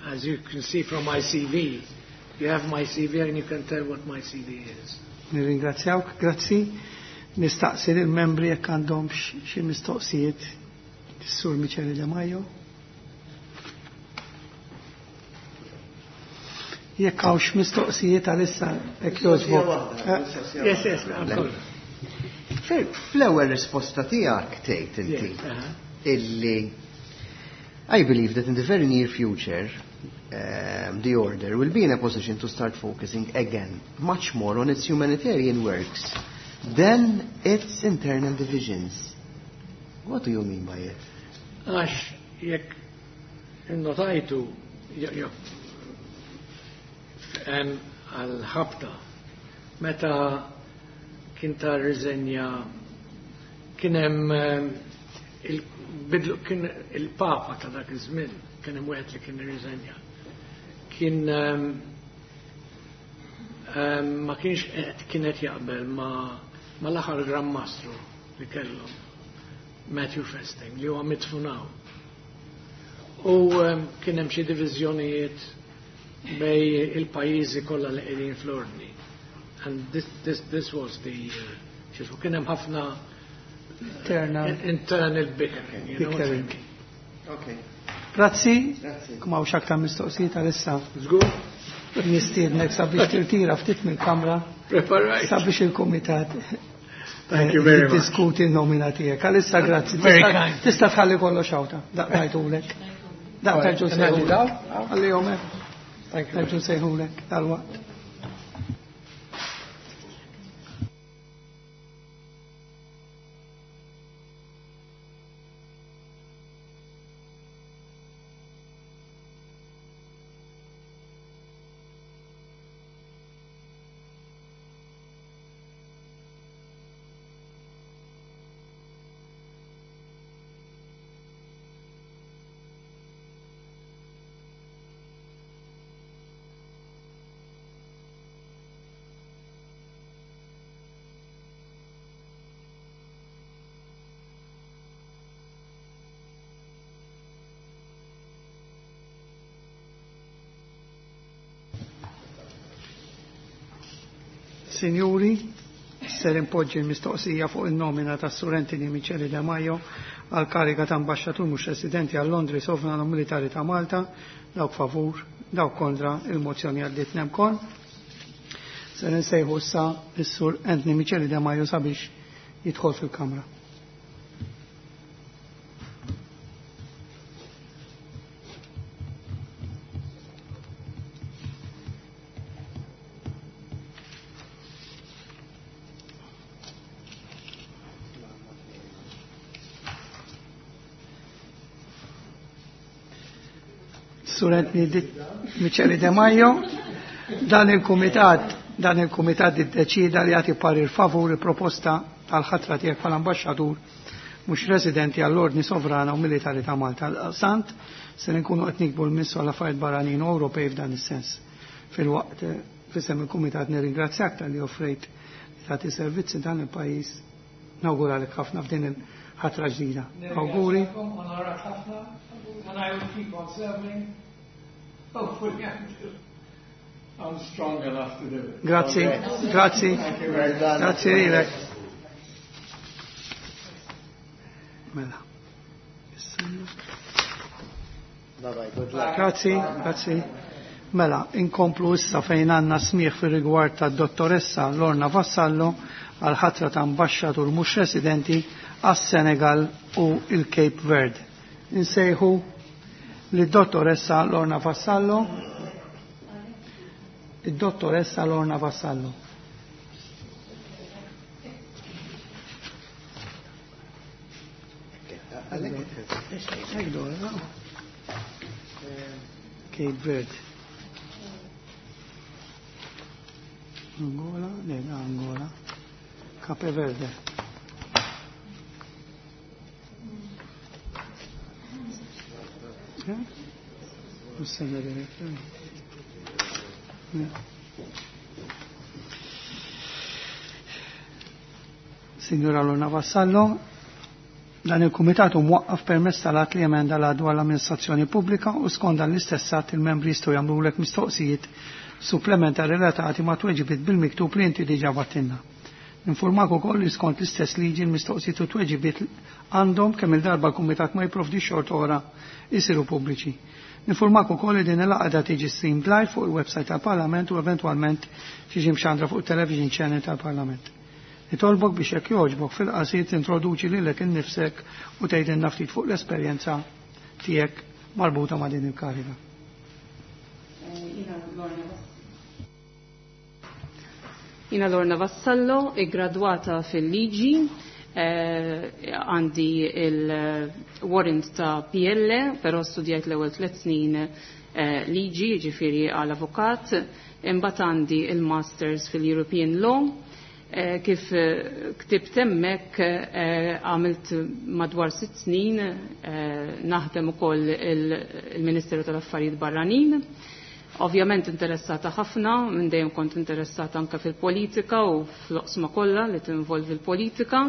As you can see from my CV, you have my CV and you can tell what my CV is. Nirringrazzjawk, grazzi. Nistaqsi lill-membri jekk għandhom xi mistoqsijiet. Sur Michele De Maio. Jekk hawnx mistoqsijiet għalissa jekk jogħġbok. Yes, I'm sorry. Fl-ewwel risposta tiegħek tgħid inti illi I believe that in the very near future the order will be in a position to start focusing again much more on its humanitarian works than its internal divisions. What do you mean by it? Għax jekk innotajtu għal-ħabta meta kien ta' riżenja kien hemm kien il-Papa ta' dak iż-żmien kien hemm wieħed li kien irriżenja. Kien ma kienx qed kienet jaqbel ma l-aħħar Gran Mastru li kellhom, Matthew Festing, li huwa midfun hawn. U kien hemm xi diviżjonijiet bejn il-pajjiżi kollha li qegħdin fl-ordni. And this was the xismu, kien hemm ħafna internal bickering. You know what I mean? Okay. Grazzi. Kum hawnx aktar mistoqsijiet għalissa. Żgur. Nistiednek sabiex tirtira ftit mill-kamra. Preparajt. Sabiex il-kumitat Thank you very much. Diskuti n-nomina tiegħek. Għalissa grazzi. Very kind. Tista' tħalli kollox hawn. Daqtajtulek. Daqtajtu sejħulek. Għalli hekk. Thank you. Nerġgħu sejħulek dal-waqt. Sinjuri, ser impoġġi l-mistoqsija fuq il-nomina ta' Sur Anthony Michele De Maio għal kariga ta' ambasċatur mhux residenti għal Londri Sovrano Militari ta' Malta, dawk favur, dawk kontra, il-mozzjoni għaddiet nemkon. Ser insejħu issa s-Sur Anthony Michele De Maio sabiex jidħol fil-Kamra. Sur Anthony Michele De Maio, dan il-kumitat iddeċida li jagħti parir favur il-proposta tal-ħatra tiegħek bħala ambaxxatur mhux residenti għall-Ordni Sovrana u Militari ta' Malta. Sant se nkunu qed nikbu l-Ministru għall Affarijiet Barranin u Ewropej f'dan is-sens. Filwaqt fisem il-kumitat nirringrazzjak talli offrejt li tagħti servizzi dan il-pajjiż. Nawguralek ħafna f'din il-ħatra ġdida. Awguri. Onorat ħafna, and I will keep on serving. Hopefully I'm strong enough to do it. Grazzi, grazzi. Thank you very much. Grazzi lilek. Mela. Bye bye, good luck. Grazzi, grazzi. Mela, inkomplu issa fejn għandna smieħ fir-rigward tad-dottoressa Lorna Vassallo għal ħatra ta' ambaxxatur mhux residenti għas-Senegal u il-Cape Verde. Insejħu lid-dottoressa Lorna Vassallo. Id-dottoressa Lorna Vassallo. Cape Verde. Angola, le, Angola. Cape Verde. Signora Lorna Vassallo, dan il-Kumitat hu mwaqqaf permezz tal-att li emenda l dwar l-amministrazzjoni pubblika u skont dan l-istess att il-membri jistgħu jagħmlulek mistoqsijiet supplementari relatati ma' tweġibiet bil-miktub li inti diġà battilna. Ninfurmak ukoll li skont l-istess liġi l-mistoqsijiet u tweġibiet għandhom kemm il-darba l-Kumitat ma jipprovdix xorta oħra jsiru pubbliċi. Ninfurmak ukoll li din il-laqgħa tiġi streamed live fuq il-website tal-Parlament u eventwalment tiġi mxandra fuq television channel tal-Parlament. Nitolbok biex jekk jogħġbok fil-qasir tintroduċi lilek innifsek u tgħidilna ftit fuq l-esperjenza tiegħek marbuta ma' din il-kariga. Jina Lorna Vassallo, iggradwata fil-liġi, għandi il-warrant ta' PL, però studjajt l-ewwel 3 snin liġi, ġifieri għal avukat, imbagħad għandi il-Masters fil-European Law. Kif ktibt hemmhekk għamilt madwar 6 snin naħdem ukoll il-Ministeru tal-Affarijiet Barranin. Ovvjament interessata ħafna, minn dejjem kont interessata anke fil-politika u fl-oqsma kollha li tinvolvi l-politika.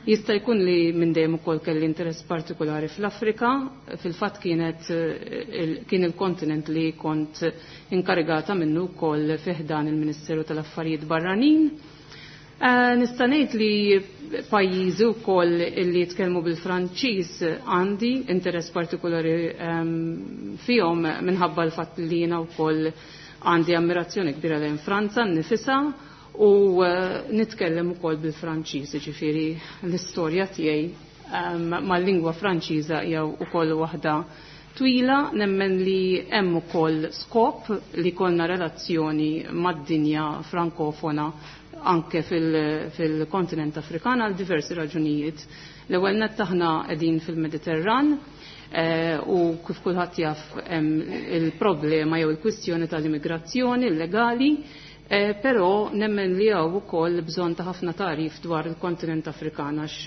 Jista' jkun li minn dejjem ukoll kelli interess partikolari fl-Afrika, fil-fatt kienet kien il-kontinent li kont inkarigata minnu wkoll fi ħdan il-Ministeru tal-Affarijiet Barranin. Nista' ngħid li pajjiżi wkoll li jitkellmu bil-Franċiż għandi interess partikolari fihom minħabba l-fatt li jiena wkoll għandi ammirazzjoni kbira lejn Franza nnifisha u nitkellem ukoll bil-Franċiż, jiġifieri l-istorja tiegħi mal-lingwa Franċiża hija wkoll waħda twila, nemmen li hemm ukoll skop li kollna relazzjoni mad-dinja frankofona anke fil-kontinent Afrikan għal diversi raġunijiet. L-ewwel nett aħna qegħdin fil-Mediterran u kif kulħadd jaf hemm il-problema jew il-kwistjoni tal-immigrazzjoni illegali, però nemmen li hawn ukoll bżonn ta' ħafna tagħrif dwar il-kontinent Afrikan għax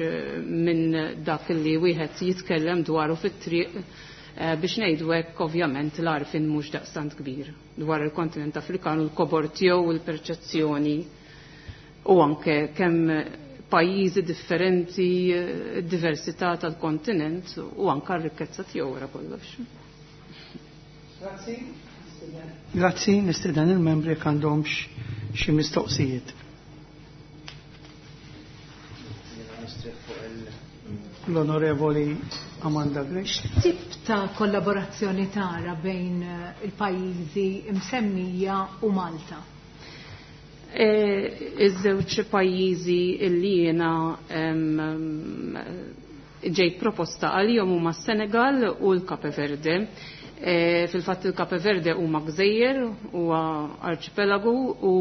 minn dak li wieħed jitkellem dwaru fit-triq biex ngħidu hekk ovvjament l-għarfien mhux daqstant kbir dwar il-kontinent Afrikan u l-kobor tiegħu u l-perċezzjoni u anke kemm pajjiżi differenti, diversità tal-kontinent u anke r-rikkezza tiegħu wara kollox. Grazzi. Grazzi, nistieden il-membri jekk għandhomx xi mistoqsijiet. L-Onorevoli Amanda Grech. Tip ta' kollaborazzjoni tara bejn il-pajjiżi msemmija u Malta? Iż-żewġ pajjiżi li jiena ġejt proposta għalihom huma s-Senegal u l-Cape Verde. Fil-fatt il-Cape Verde huma gżejjer, huwa arċipelagu u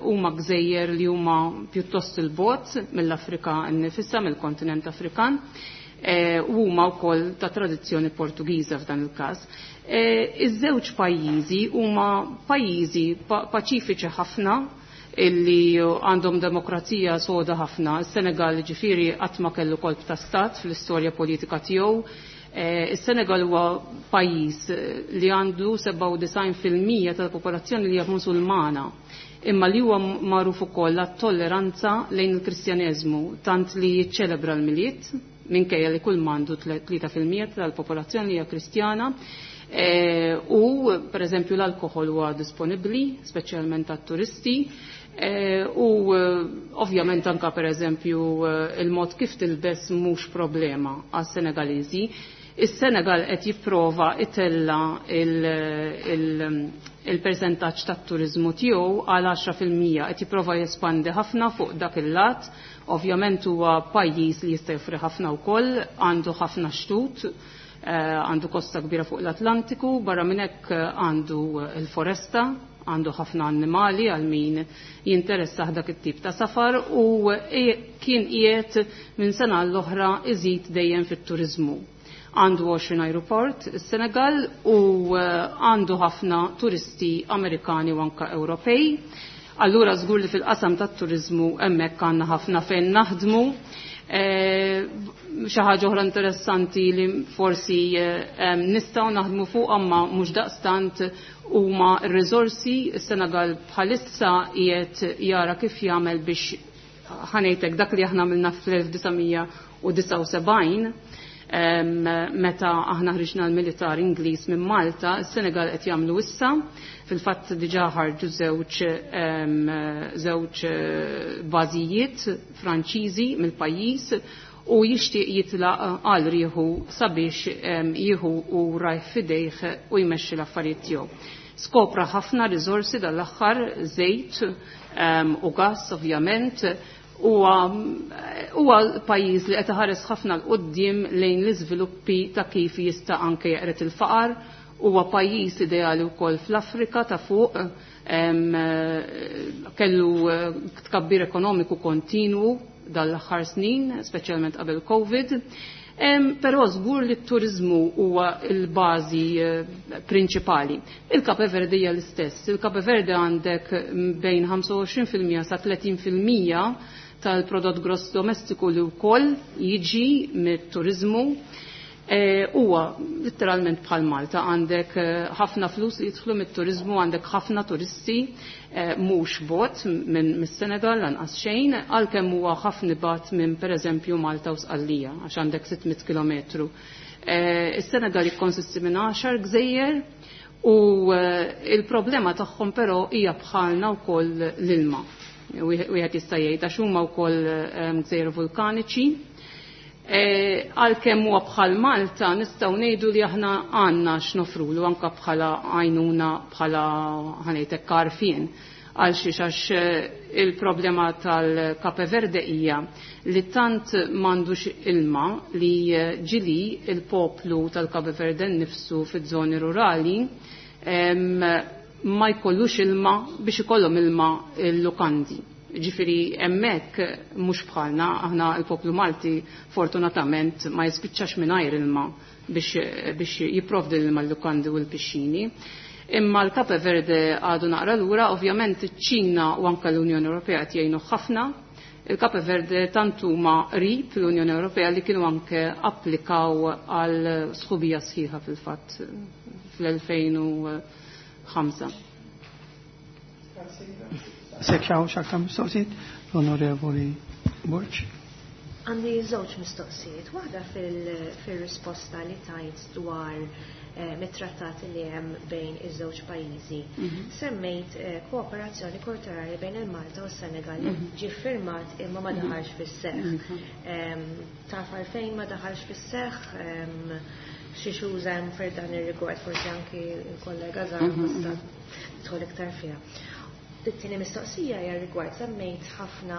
huma gżejjer li huma pjuttost il-bogħod mill-Afrika nnifisha, mill-kontinent Afrikan, u huma wkoll ta' tradizzjoni Portugiża f'dan il-każ. Iż-żewġ pajjiżi huma pajjiżi paċifiċi ħafna illi għandhom demokrazija soda ħafna. Is-Senegal ġifieri qatt ma kellu kolp ta' stat fl-istorja politika tiegħu. Is-Senegal huwa pajjiż li għandu 97% tal-popolazzjoni li hija Musulmana, imma li huwa magħruf ukoll għat-tolleranza lejn il-Kristjaneżmu, tant li jiċċelebra l-Milied minkejja li kull m'għandu 3% tal-popolazzjoni li hija Kristjana. U per eżempju l-alkohol huwa disponibbli, speċjalment għat-turisti, u ovvjament anka per eżempju il-mod kif tilbes mhux problema għas-Senegaliżi. Is-Senegal qed jipprova itella il-percentaġġ tat-turiżmu tiegħu għal 10%, qed jipprova jespandi ħafna fuq dak il-lat. Ovvjament huwa pajjiż li jista' joffri ħafna wkoll, għandu ħafna xtut, għandu kosta kbira fuq l-Atlantiku, barra minn hekk għandu l-foresta, għandu ħafna annimali għal min jinteressah dak it-tip ta' safar u kien qiegħed minn sena l-oħra iżid dejjem fit-turiżmu. Għandu 20 aeroport is-Senegal u għandu ħafna turisti Amerikani u anka Ewropej. Allura żgur li fil-qasam tat-turiżmu hemmhekk għandna ħafna fejn naħdmu. Xi ħaġa oħra interessanti li forsi nistgħu naħdmu fuq imma mhux daqstant huma r-riżorsi. Is-Senegal bħalissa qiegħed jara kif jagħmel biex ħanejtek dak li aħna għamilna fl-1979. Meta aħna ħriġna l-militar Ingliż minn Malta, is-Senegal qed jagħmlu issa. Fil-fatt diġà ħarġu żewġ bażijiet Franċiżi mill-pajjiż u jixtieq jitlaq għal rieħu sabiex jieħu u rajh f'idejh u jmexxi l-affarijiet tiegħu. Skopra ħafna riżorsi dal-aħħar, żejt u gass ovvjament, huwa pajjiż li qed iħares ħafna 'l quddiem lejn l-iżviluppi ta' kif jista' anke jeqred il-faqar. Huwa pajjiż ideali wkoll fl-Afrika ta' fuq, kellu tkabbir ekonomiku kontinwu dal-aħħar snin, speċjalment qabel Covid. Però żgur li t-turiżmu huwa l-bażi prinċipali. Il-Cape Verde hija l-istess. Il-Cape Verde għandek bejn 25% sa 30% tal-prodott gross domestiku li wkoll jiġi mit-turiżmu. Huwa letteralment bħal Malta, għandek ħafna flus li jidħlu mit-turiżmu, għandek ħafna turisti, mhux bot minn mis-Senegal lanqas xejn, għalkemm huwa ħafna bat minn pereżempju Malta u Sqallija, għax għandek 600 kilometru. Is-Senegal jikkonsisti minn 10 gżejjer u il-problema tagħhom però hija bħalna wkoll l-ilma. Wieħed jista' jgħid għax huma wkoll gżejjer vulkaniċi. Għalkemm huwa bħal Malta nistgħu ngħidu li aħna għandna x'nofrulu anke bħala għajnuna, bħala ħanejtek għarfien. Għal xiex, għax il-problema tal-Cape Verde hija li tant m'għandux ilma li ġili il-poplu tal-Cape Verde nnifsu fiż-żoni rurali ma jkollux ilma biex ikollhom ilma l-lukandi. Ġifieri hemmhekk mhux bħalna, aħna l-poplu Malti fortunatament ma jispiċċax mingħajr ilma biex jipprovdi l-ilma l-lukandi u l-pixxini. Imma l-Cape Verde għadu naqra lura, ovvjament iċ-Ċina u anke l-Unjoni Ewropea qed jgħinu ħafna. Il-Cape Verde tant huma qrib l-Unjoni Ewropea li kienu anke applikaw għal sħubija sħiħa fil-fatt fl-2005. Sekk xaw xaktar mistoqsijiet, l-Onorevoli Borg. Għandi żewġ mistoqsijiet. Waħda fil-risposta li tajt dwar mit-trattati li hemm bejn iż-żewġ pajjiżi. Semmejt kooperazzjoni kulturali bejn il-Malta u s-Senegal li ġie firmat imma ma daħalx fis-seħħ. Taf għalfejn ma daħalx fis-seħħ? Xi xuża hemm fer dan ir-rigward, forsi anki l-kollega Zara tista' tidħol iktar fiha. It-tieni mistoqsija hija rigward semmejt ħafna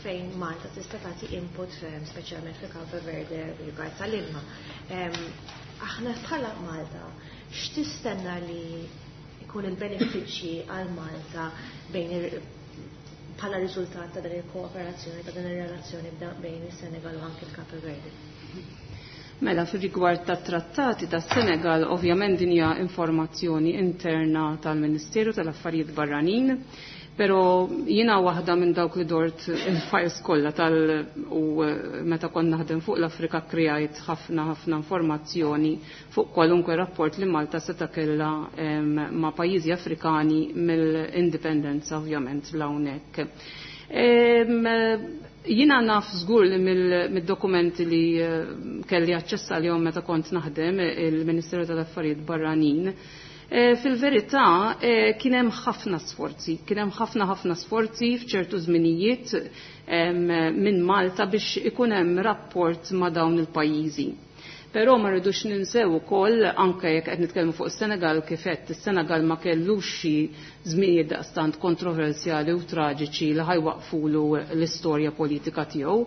fejn Malta tista' tagħti input, speċjalment fi Cape Verde rigward tal-ilma. Aħna bħala Malta, x'tistenna li jkun il-benefiċċji għal Malta bħala riżultat ta' dan il-kooperazzjoni, ta' dan ir-relazzjoni bejn is-Senegal u anke l-Cape Verde? Mela, fir-rigward tat trattati tas Senegal, ovvjament din hija informazzjoni interna tal-Ministeru tal-Affarijiet Barranin, però jiena waħda minn dawk li dort il-files kollha tal u meta kont naħdem fuq l-Afrika krejajt ħafna ħafna informazzjoni fuq kwalunkwe rapport li Malta seta' kellha ma' pajjiżi Afrikani mill-indipendenza ovvjament l-hawnhekk. Jiena naf żgur li mid-dokumenti li kelli aċċess għalihom meta kont naħdem il-Ministeru tal-Affarijiet Barranin, fil-verità kien hemm ħafna sforzi, kien hemm ħafna ħafna sforzi f'ċertu żminijiet minn Malta biex ikun hemm rapport ma' dawn il-pajjiżi. Però ma rridux ninsew ukoll anke jekk qed nitkellmu fuq is-Senegal, kif qed is-Senegal ma kellux xi żminijiet daqstant kontroversjali u traġiċi li ħajwaqfulu l-istorja politika tiegħu.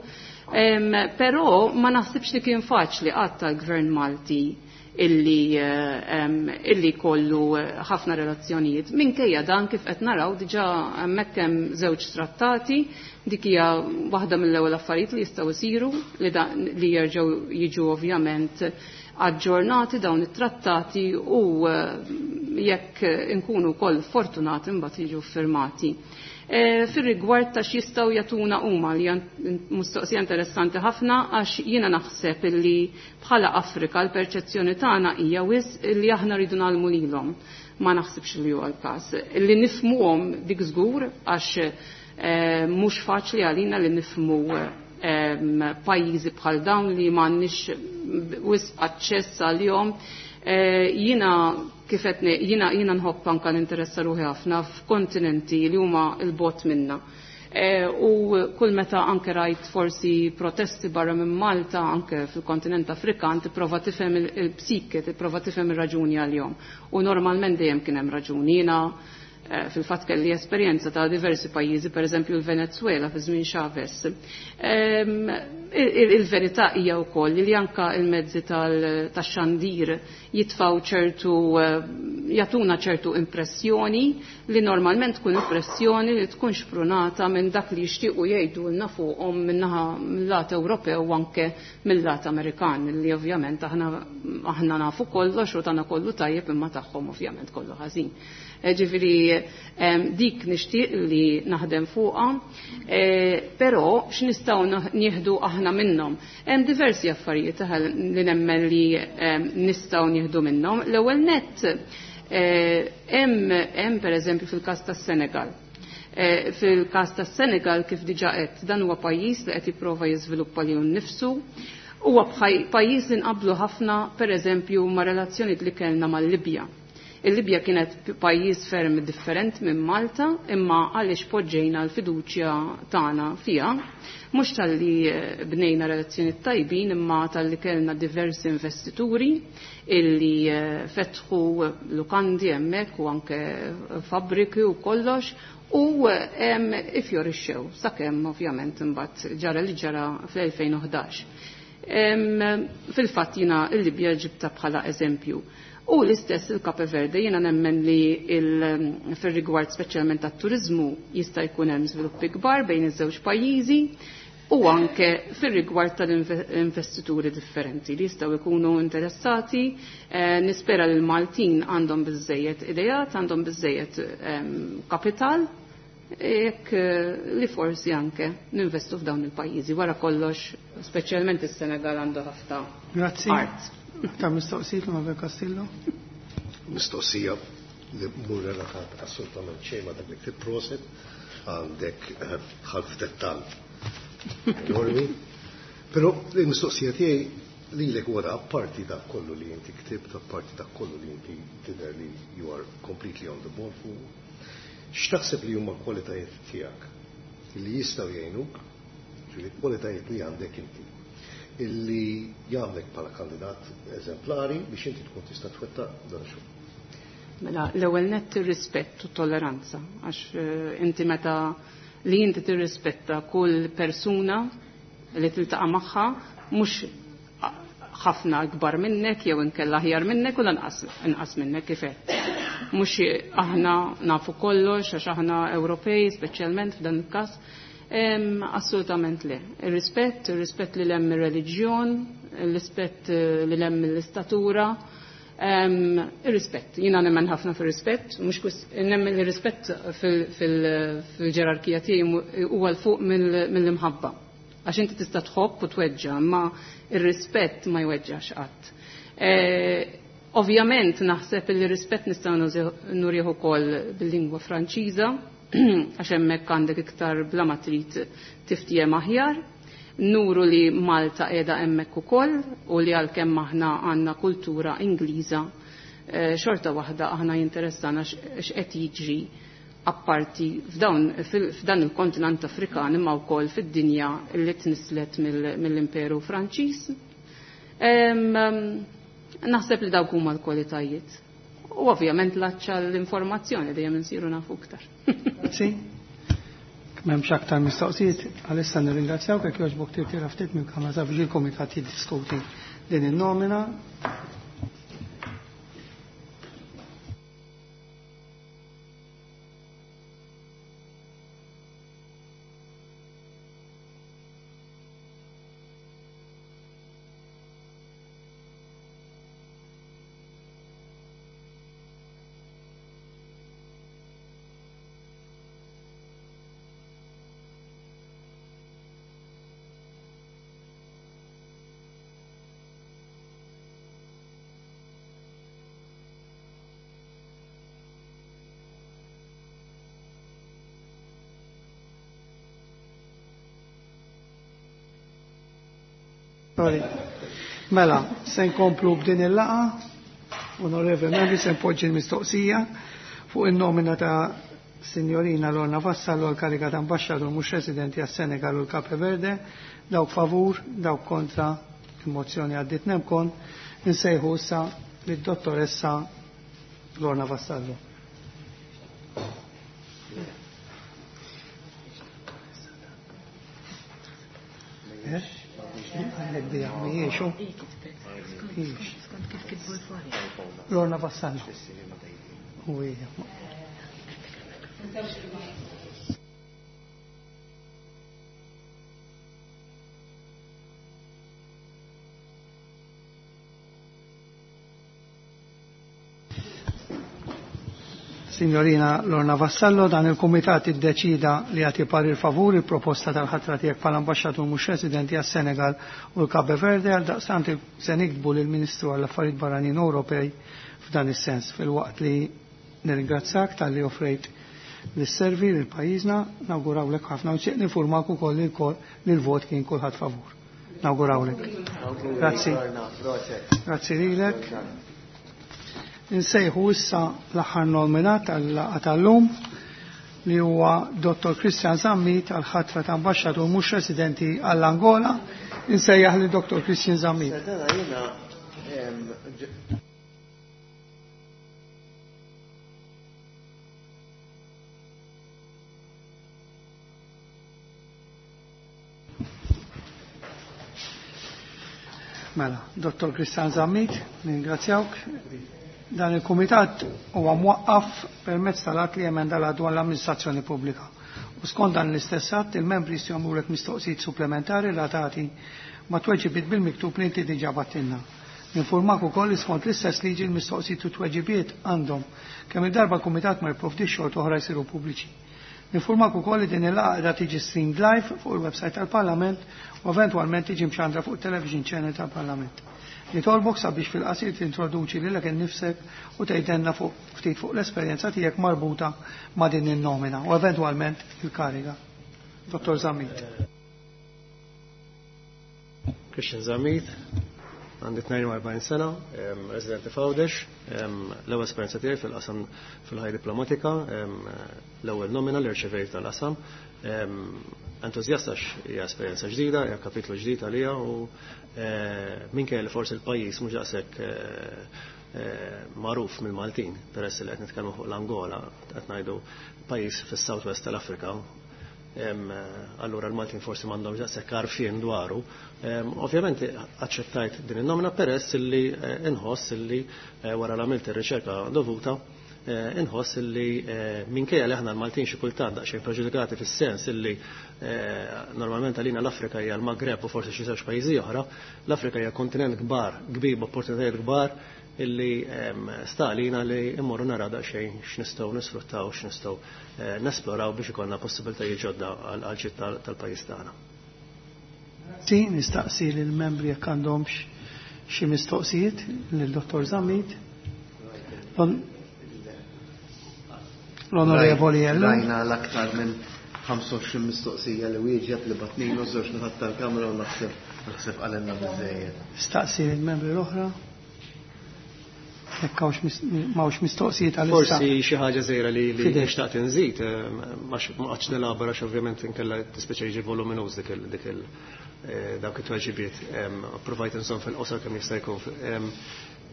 Però ma naħsibx li kien faċli qatt tal-Gvern Malti illi kollu ħafna relazzjonijiet. Minkejja dan kif qed naraw diġà hemmhekk hemm żewġ trattati, dik hija waħda mill-ewwel affarijiet li jistgħu jsiru li jerġgħu jiġu ovvjament aġġornati dawn it-trattati u jekk inkunu wkoll fortunati mbagħad jiġu firmati. Fir-rigward ta' x'jistgħu jagħtuna huma, li hija mistoqsija interessanti ħafna, għax jiena naħseb illi bħala Afrika l-perċezzjoni tagħna hija wisq li aħna rridu nagħlmu lilhom. Ma naħsibx li huwa l-każ. Li nifhmuhom dik żgur, għax mhux faċli għalina li nifhmu pajjiżi bħal dawn li m'għandniex wisq aċċess għalihom. Jiena kif qed jiena nħobb anke ninteressa ruħi ħafna f'kontinenti li huma l-bogħod minna. U kull meta anke rajt forsi protesti barra minn Malta, anke fil-kontinent Afrikan, tipprova tifhem il-psike, tipprova tifhem ir-raġuni għalihom. U normalment dejjem kien hemm raġuni. Jiena fil-fatt kelli esperjenza ta' diversi pajjiżi, per eżempju l-Venezuela fi żmien Chavez. Il-verità hija wkoll li anka il-mezzi tax-xandir jitfaw ċertu jagħtuna ċertu impressjoni li normalment tkun impressjoni li tkun xprunata minn dak li jixtiequ jgħidulna fuqhom min-naħa mill-lat Ewropew u anke mill-lat Amerikan li ovvjament aħna nafu kollox u tagħna kollu tajjeb imma tagħhom ovvjament kollu ħażin. Ġifieri dik nixtieq li naħdem fuqha, però x'nistgħu nieħdu aħna minnhom. Hemm diversi affarijiet li nemmen li nistgħu nieħdu minnhom. L-ewwel nett hemm pereżempju fil-każ tas-Senegal. Fil-każ tas-Senegal kif diġà qed dan huwa pajjiż li qed jipprova jiżviluppa lilu nnifsu. Huwa pajjiż li nqablu ħafna pereżempju ma' relazzjonijiet li kellna mal-Libja. Il-Libja kienet pajjiż ferm different minn Malta, imma għaliex poġġejna l-fiduċja tagħna fiha, mhux talli bnejna relazzjoni tajbin, imma talli kellna diversi investituri illi fetħu lukandi hemmhekk u anke fabbriki u kollox u ifjorixxew sakemm ovvjament imbagħad ġara li ġara fl-2011. Fil-fatt jiena l-Libja ġibta bħala eżempju. U l-istess il-Cape Verde, jiena nemmen li fil-rigward speċjalment tat-turizmu jista' jkun hemm żviluppi kbar bejn iż-żewġ pajjiżi u anke fil-rigward tal-investituri differenti li jistgħu jkunu interessati. Nispera li l-Maltin għandhom biżżejjed ideat, għandhom biżżejjed kapital, jekk li forsi anke ninvestu f'dawn il-pajjiżi. Wara kollox, speċjalment is-Senegal għandu ħafna art. Ta' mistoqsijiet l Castillo? Mistoqsija li mur relatat assolutament xejn ma' dak li ktibt proset għandek ħalf dettall enormi. Però il-mistoqsija tiegħi lilek wara apparti dak kollu li inti ktibt, apparti dak kollu li inti tidher li you are completely on the ball fuq. X'taħseb li huma l-kwalitajiet tiegħek li jistgħu jgħinuk, ġifieri kwalitajiet li għandek inti illi jagħmlek bħala kandidat eżemplari biex inti tkun tista' twettaq dan ix-xogħol. Mela, l-ewwel nett ir-rispett u t-tolleranza, għax inti meta li inti tirrispetta kull persuna li tiltaqa' magħha mhux ħafna akbar minnek jew inkella aħjar minnek u lanqas inqas minnek kif qed. Mhux aħna nafu kollox għax aħna Ewropej speċjalment f'dan il-każ. Assolutament le. Ir-rispett, ir-rispett li hemm ir-reliġjon, ir-rispett li hemm l-istatura, ir-rispett. Jiena nemmen ħafna fir-rispett, mhux nemmen ir-rispett fil-ġerarkija tiegħi huwa l fuq mill-imħabba. Għax inti tista' tħobb u tweġġa', imma ir-rispett ma jweġġax qatt. Ovvjament naħseb li r-rispett nistgħu nurih ukoll bil-lingwa Franċiża, għax hemmhekk għandek iktar bla ma trid tiftiem aħjar. Nuru li Malta qiegħda hemmhekk ukoll u li għalkemm aħna għandna kultura Ingliża, xorta waħda aħna jinteressana x'qed jiġri apparti f'dan il-kontinent Afrikan imma wkoll fid-dinja li tnislet mill-Imperu Franċiż. Naħseb li dawk huma l-kwalitajiet. U ovvjament l-aċċa l-informazzjoni dejjem insiru nafu iktar. Grazzi. M'hemmx aktar mistoqsijiet, għalissa nirringrazzjawk jekk jogħġbok tirtira ftit mill-Kamra sabiex il-Kumitat jiddiskuti din in-nomina. Sorry. Mela, se nkomplu b'din il-laqgħa. Onorevoli membri, se npoġġi l-mistoqsija fuq in-nomina ta' Signorina Lorna Vassallo għal kariga ta' ambasċatur mhux residenti għas-Senegal u l-Cape Verde. Dawk favur, dawk kontra, il-mozzjoni għaddiet nemkon. Insejħu issa lid-dottoressa Lorna Vassallo. Għallek bija, mhijiex hu? Mhijiex. Lorna Vassallo. U hija. Signorina Lorna Vassallo, dan il-Kumitat iddeċida li jagħti parir favur il-proposta tal-ħatra tiegħek bħala ambaxxatur mhux residenti għas-Senegal u l-Cape Verde. Għal daqstant se niktbu lill-Ministru għall-Affarijiet Barranin Ewropej f'dan is-sens, filwaqt li nirringrazzjak talli offrejt li sservi lil pajjiżna, nawgurawlek ħafna u nixtieq ninfurmak ukoll li l-vot kien kulħadd favur. Nawgurawlek. Grazzi. Grazzi lilek. Insejħu issa l-aħħar nominat għal-laqgħa tal-lum li huwa Dr. Christian Zammit għal-ħatra ta' ambaxxatur mhux residenti għall-Angola. Insejjaħ li Dr. Christian Zammit. Mela, Dr. Christian Zammit, ningrazzjawk. Dan il-Kumitat huwa mwaqqaf permezz tal-att li emenda l dwar l-amministrazzjoni pubblika. U skont dan l-istess att, il-membri jistgħu jagħmlulek mistoqsijiet supplementari relatati ma' tweġibiet bil-miktub li inti diġà battilna. Ninfurmak ukoll li skont l-istess liġi l-mistoqsijiet u tweġibiet għandhom kemm il-darba l-Kumitat ma jipprovdix xorta oħra jsiru pubbliċi. Ninfurmak ukoll li din il-laqgħa qiegħda tiġi streamed live fuq il-website tal-Parlament u eventwalment tiġi mxandra fuq television channel tal-Parlament. Nitolbok sabiex fil-qasir tintroduċi lilek innifsek u tgħidilna fuq ftit fuq l-esperjenza tiegħek marbuta ma' din in-nomina u eventwalment il-kariga. Dottor Zammit. Christian Zammit, għandi 42 sena, residenti f'Għawdex, l-ewwel esperjenza tiegħi fil-qasam fil-ħajja diplomatika, l-ewwel nomina li rċevejt tal-qasam. Entużjast għax hija esperjenza ġdida, hija kapitlu ġdid għalija u minkejja li forsi l-pajjiż mhux daqshekk magħruf mill-Maltin, peress li qed nitkellmu fuq l-Angola, qed ngħidu pajjiż fis-South West tal-Afrika, allura l-Maltin forsi m'għandhomx daqshekk għarfien dwaru. Ovvjament aċċettajt din in-nomina peress illi inħoss illi wara l-għamilt ir-riċerka dovuta, inħoss illi minkejja li aħna l-Maltin xi kultant daqsxejn preġudikati fis-sens illi normalment għalina l-Afrika hija l-Magreb u forsi xi żewġ pajjiżi oħra, l-Afrika hija kontinent kbar, kbir b'opportunitajiet kbar illi sta għalina li immorru nara daqsxejn x'nistgħu nisfruttaw, x'nistgħu nesploraw biex ikollna possibiltajiet ġodda għal ġid tal-pajjiż tagħna. Grazzi, nistaqsi lill-membri jekk għandhomx xi mistoqsijiet lil Dottor Zammit. L-Onorevoli Ellul. Rajna l-aktar minn 25 mistoqsija li wieġeb li batnilu żewġ naħat tal-kamra u naħseb qalilna biżejjed. Staqsi lill-membri l-oħra. Jekk m'hawnx mistoqsijiet għal-issa. Forsi xi ħaġa żgħira li Fidel. nixtaq tinżid, ma qgħodx nelabora għax ovvjament inkella tispeċa jiġi voluminuż dawk it-tweġibiet. Provajt inżomm fil-qosor kemm jista' jkun.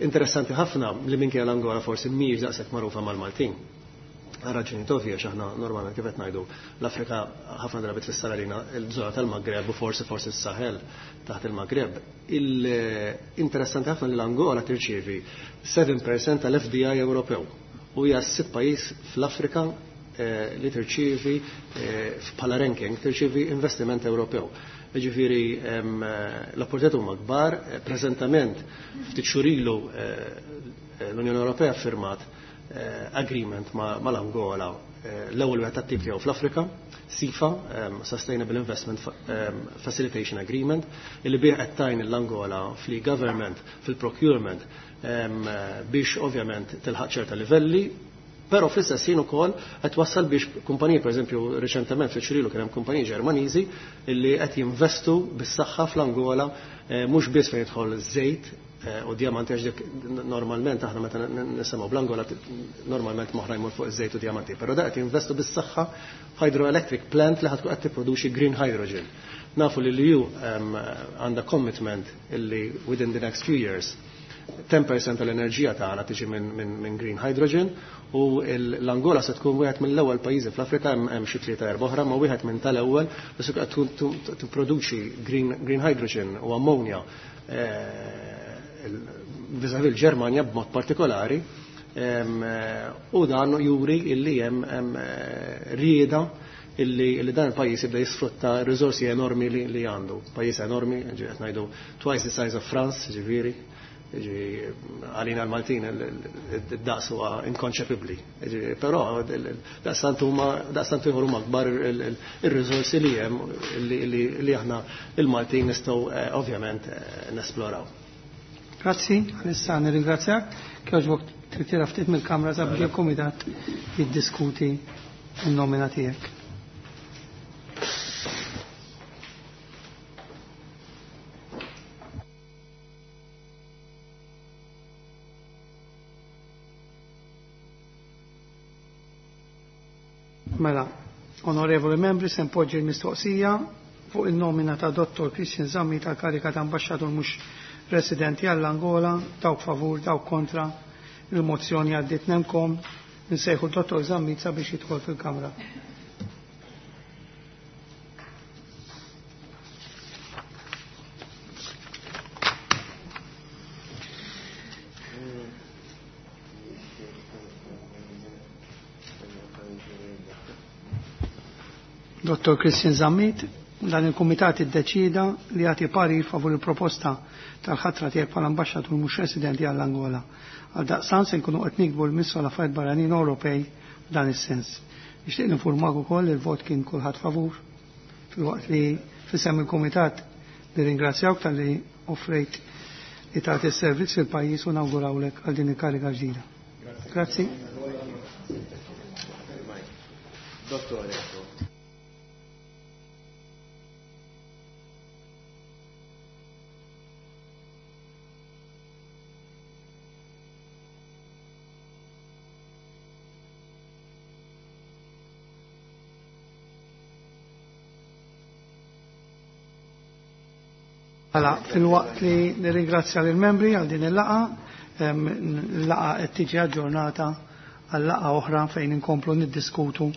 Interessanti ħafna li minkejja l-Angola forsi mhijiex daqshekk magħrufa mal-Maltin. Raġuni tovja x'aħna normalment kif qed ngħidu l-Afrika ħafna drabi tfisser għalina l-żona tal-Magreb u forsi s-Sahel taħt il-Magreb. Il-interessanti ħafna li l-Angola tirċievi 7% tal-FDI Ewropew u hija s-sitt pajjiż fl-Afrika li tirċievi bħala ranking tirċievi investiment Ewropew. Jiġifieri l-opportunitajiet huma kbar, preżentament ftit xhur ilu l-Unjoni Ewropea firmat agreement mal-Angola, l-ewwel wieħed tat-tip tiegħu fl-Afrika, SIFA, Sustainable Investment Facilitation Agreement, illi bih qed tgħin l-Angola fl-government, fil-procurement, biex ovvjament tilħaq ċerta livelli. Però fl-istess ħin ukoll qed wassal biex kumpaniji, pereżempju riċentement fi Ċirilu kien hemm kumpaniji Ġermaniżi li qed jinvestu bis-saħħa fl-Angola eh, mhux biss fejn jidħol żejt eh, u diamanti għax dik normalment aħna meta nisimgħu bl-Angola normalment moħra jmur fuq iż-żejt u diamanti, però da qed jinvestu bis-saħħa hydroelectric plant li ħatkun qed tipproduċi green hydrogen. Nafu li l-EU għandha commitment illi within the next few years 10% tal-enerġija tagħna tiġi minn min, min green hydrogen u l-Angola se tkun wieħed mill-ewwel pajjiżi fl-Afrika hemm xi tlieta erba' oħra, ma wieħed minn tal-ewwel li se tipproduċi green, green hydrogen u ammonia eh, vis-à-vis l-Ġermanja b'mod partikolari eh, u dan juri illi hemm eh, rieda illi dan il-pajjiż jibda jisfrutta r-riżorsi enormi li għandu. Pajjiż enormi, qed ngħidu twice the size of France, ġifieri għalina l-Maltin id-daqs huwa inkonċepibbli. Però daqstant huma daqstant ieħor huma kbar ir-riżorsi li hemm li aħna il-Maltin nistgħu eh, ovvjament eh, nesploraw. Grazzi, għalissa nirringrazzjak. Kjoġbok tritira ftit mill-kamra sabiex il-kumitat jiddiskuti n-nomina tiegħek. Mela, onorevoli membri, se npoġġi l-mistoqsija fuq il-nomina ta' Dottor Christian Zammi tal-karika ta' ambasċatur mhux residenti għall-Angola, dawk favur, dawk kontra, il-mozzjoni għaddit nemkom, nsejħu Dottor Zammi sabiex jidħol fil-kamra. Dr. Christian Zammit, dan il-Kumitat iddeċida li jagħti parir favur il-proposta tal-ħatra tiegħek bħala ambaxxatur mhux residenti għall-Angola. Għal daqstant se nkunu qed nikbu l-Ministru għal Affarijiet Barranin Ewropej f'dan is-sens. Nixtieq ninfurmak ukoll li l-vot kien kulħadd favur filwaqt li fisem il-Kumitat nirringrazzjawk talli offrejt li tagħti s-servizz fil-pajjiż u nawgurawlek għal din il-kariga ġdida. Grazzi. Dottore. Mela, fil-waqt li nirringrazzja lill-membri għal din il-laqa, il-laqa qed tiġi aġġornata għal laqa oħra fejn inkomplu niddiskutu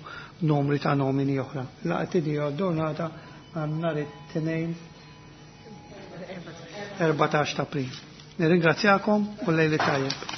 numri ta' nomini oħra. Il-laqa tiġi aġġornata għal nhar it-tnejn 14 ta' April. Nirringrazzjakom u lejli tajjeb.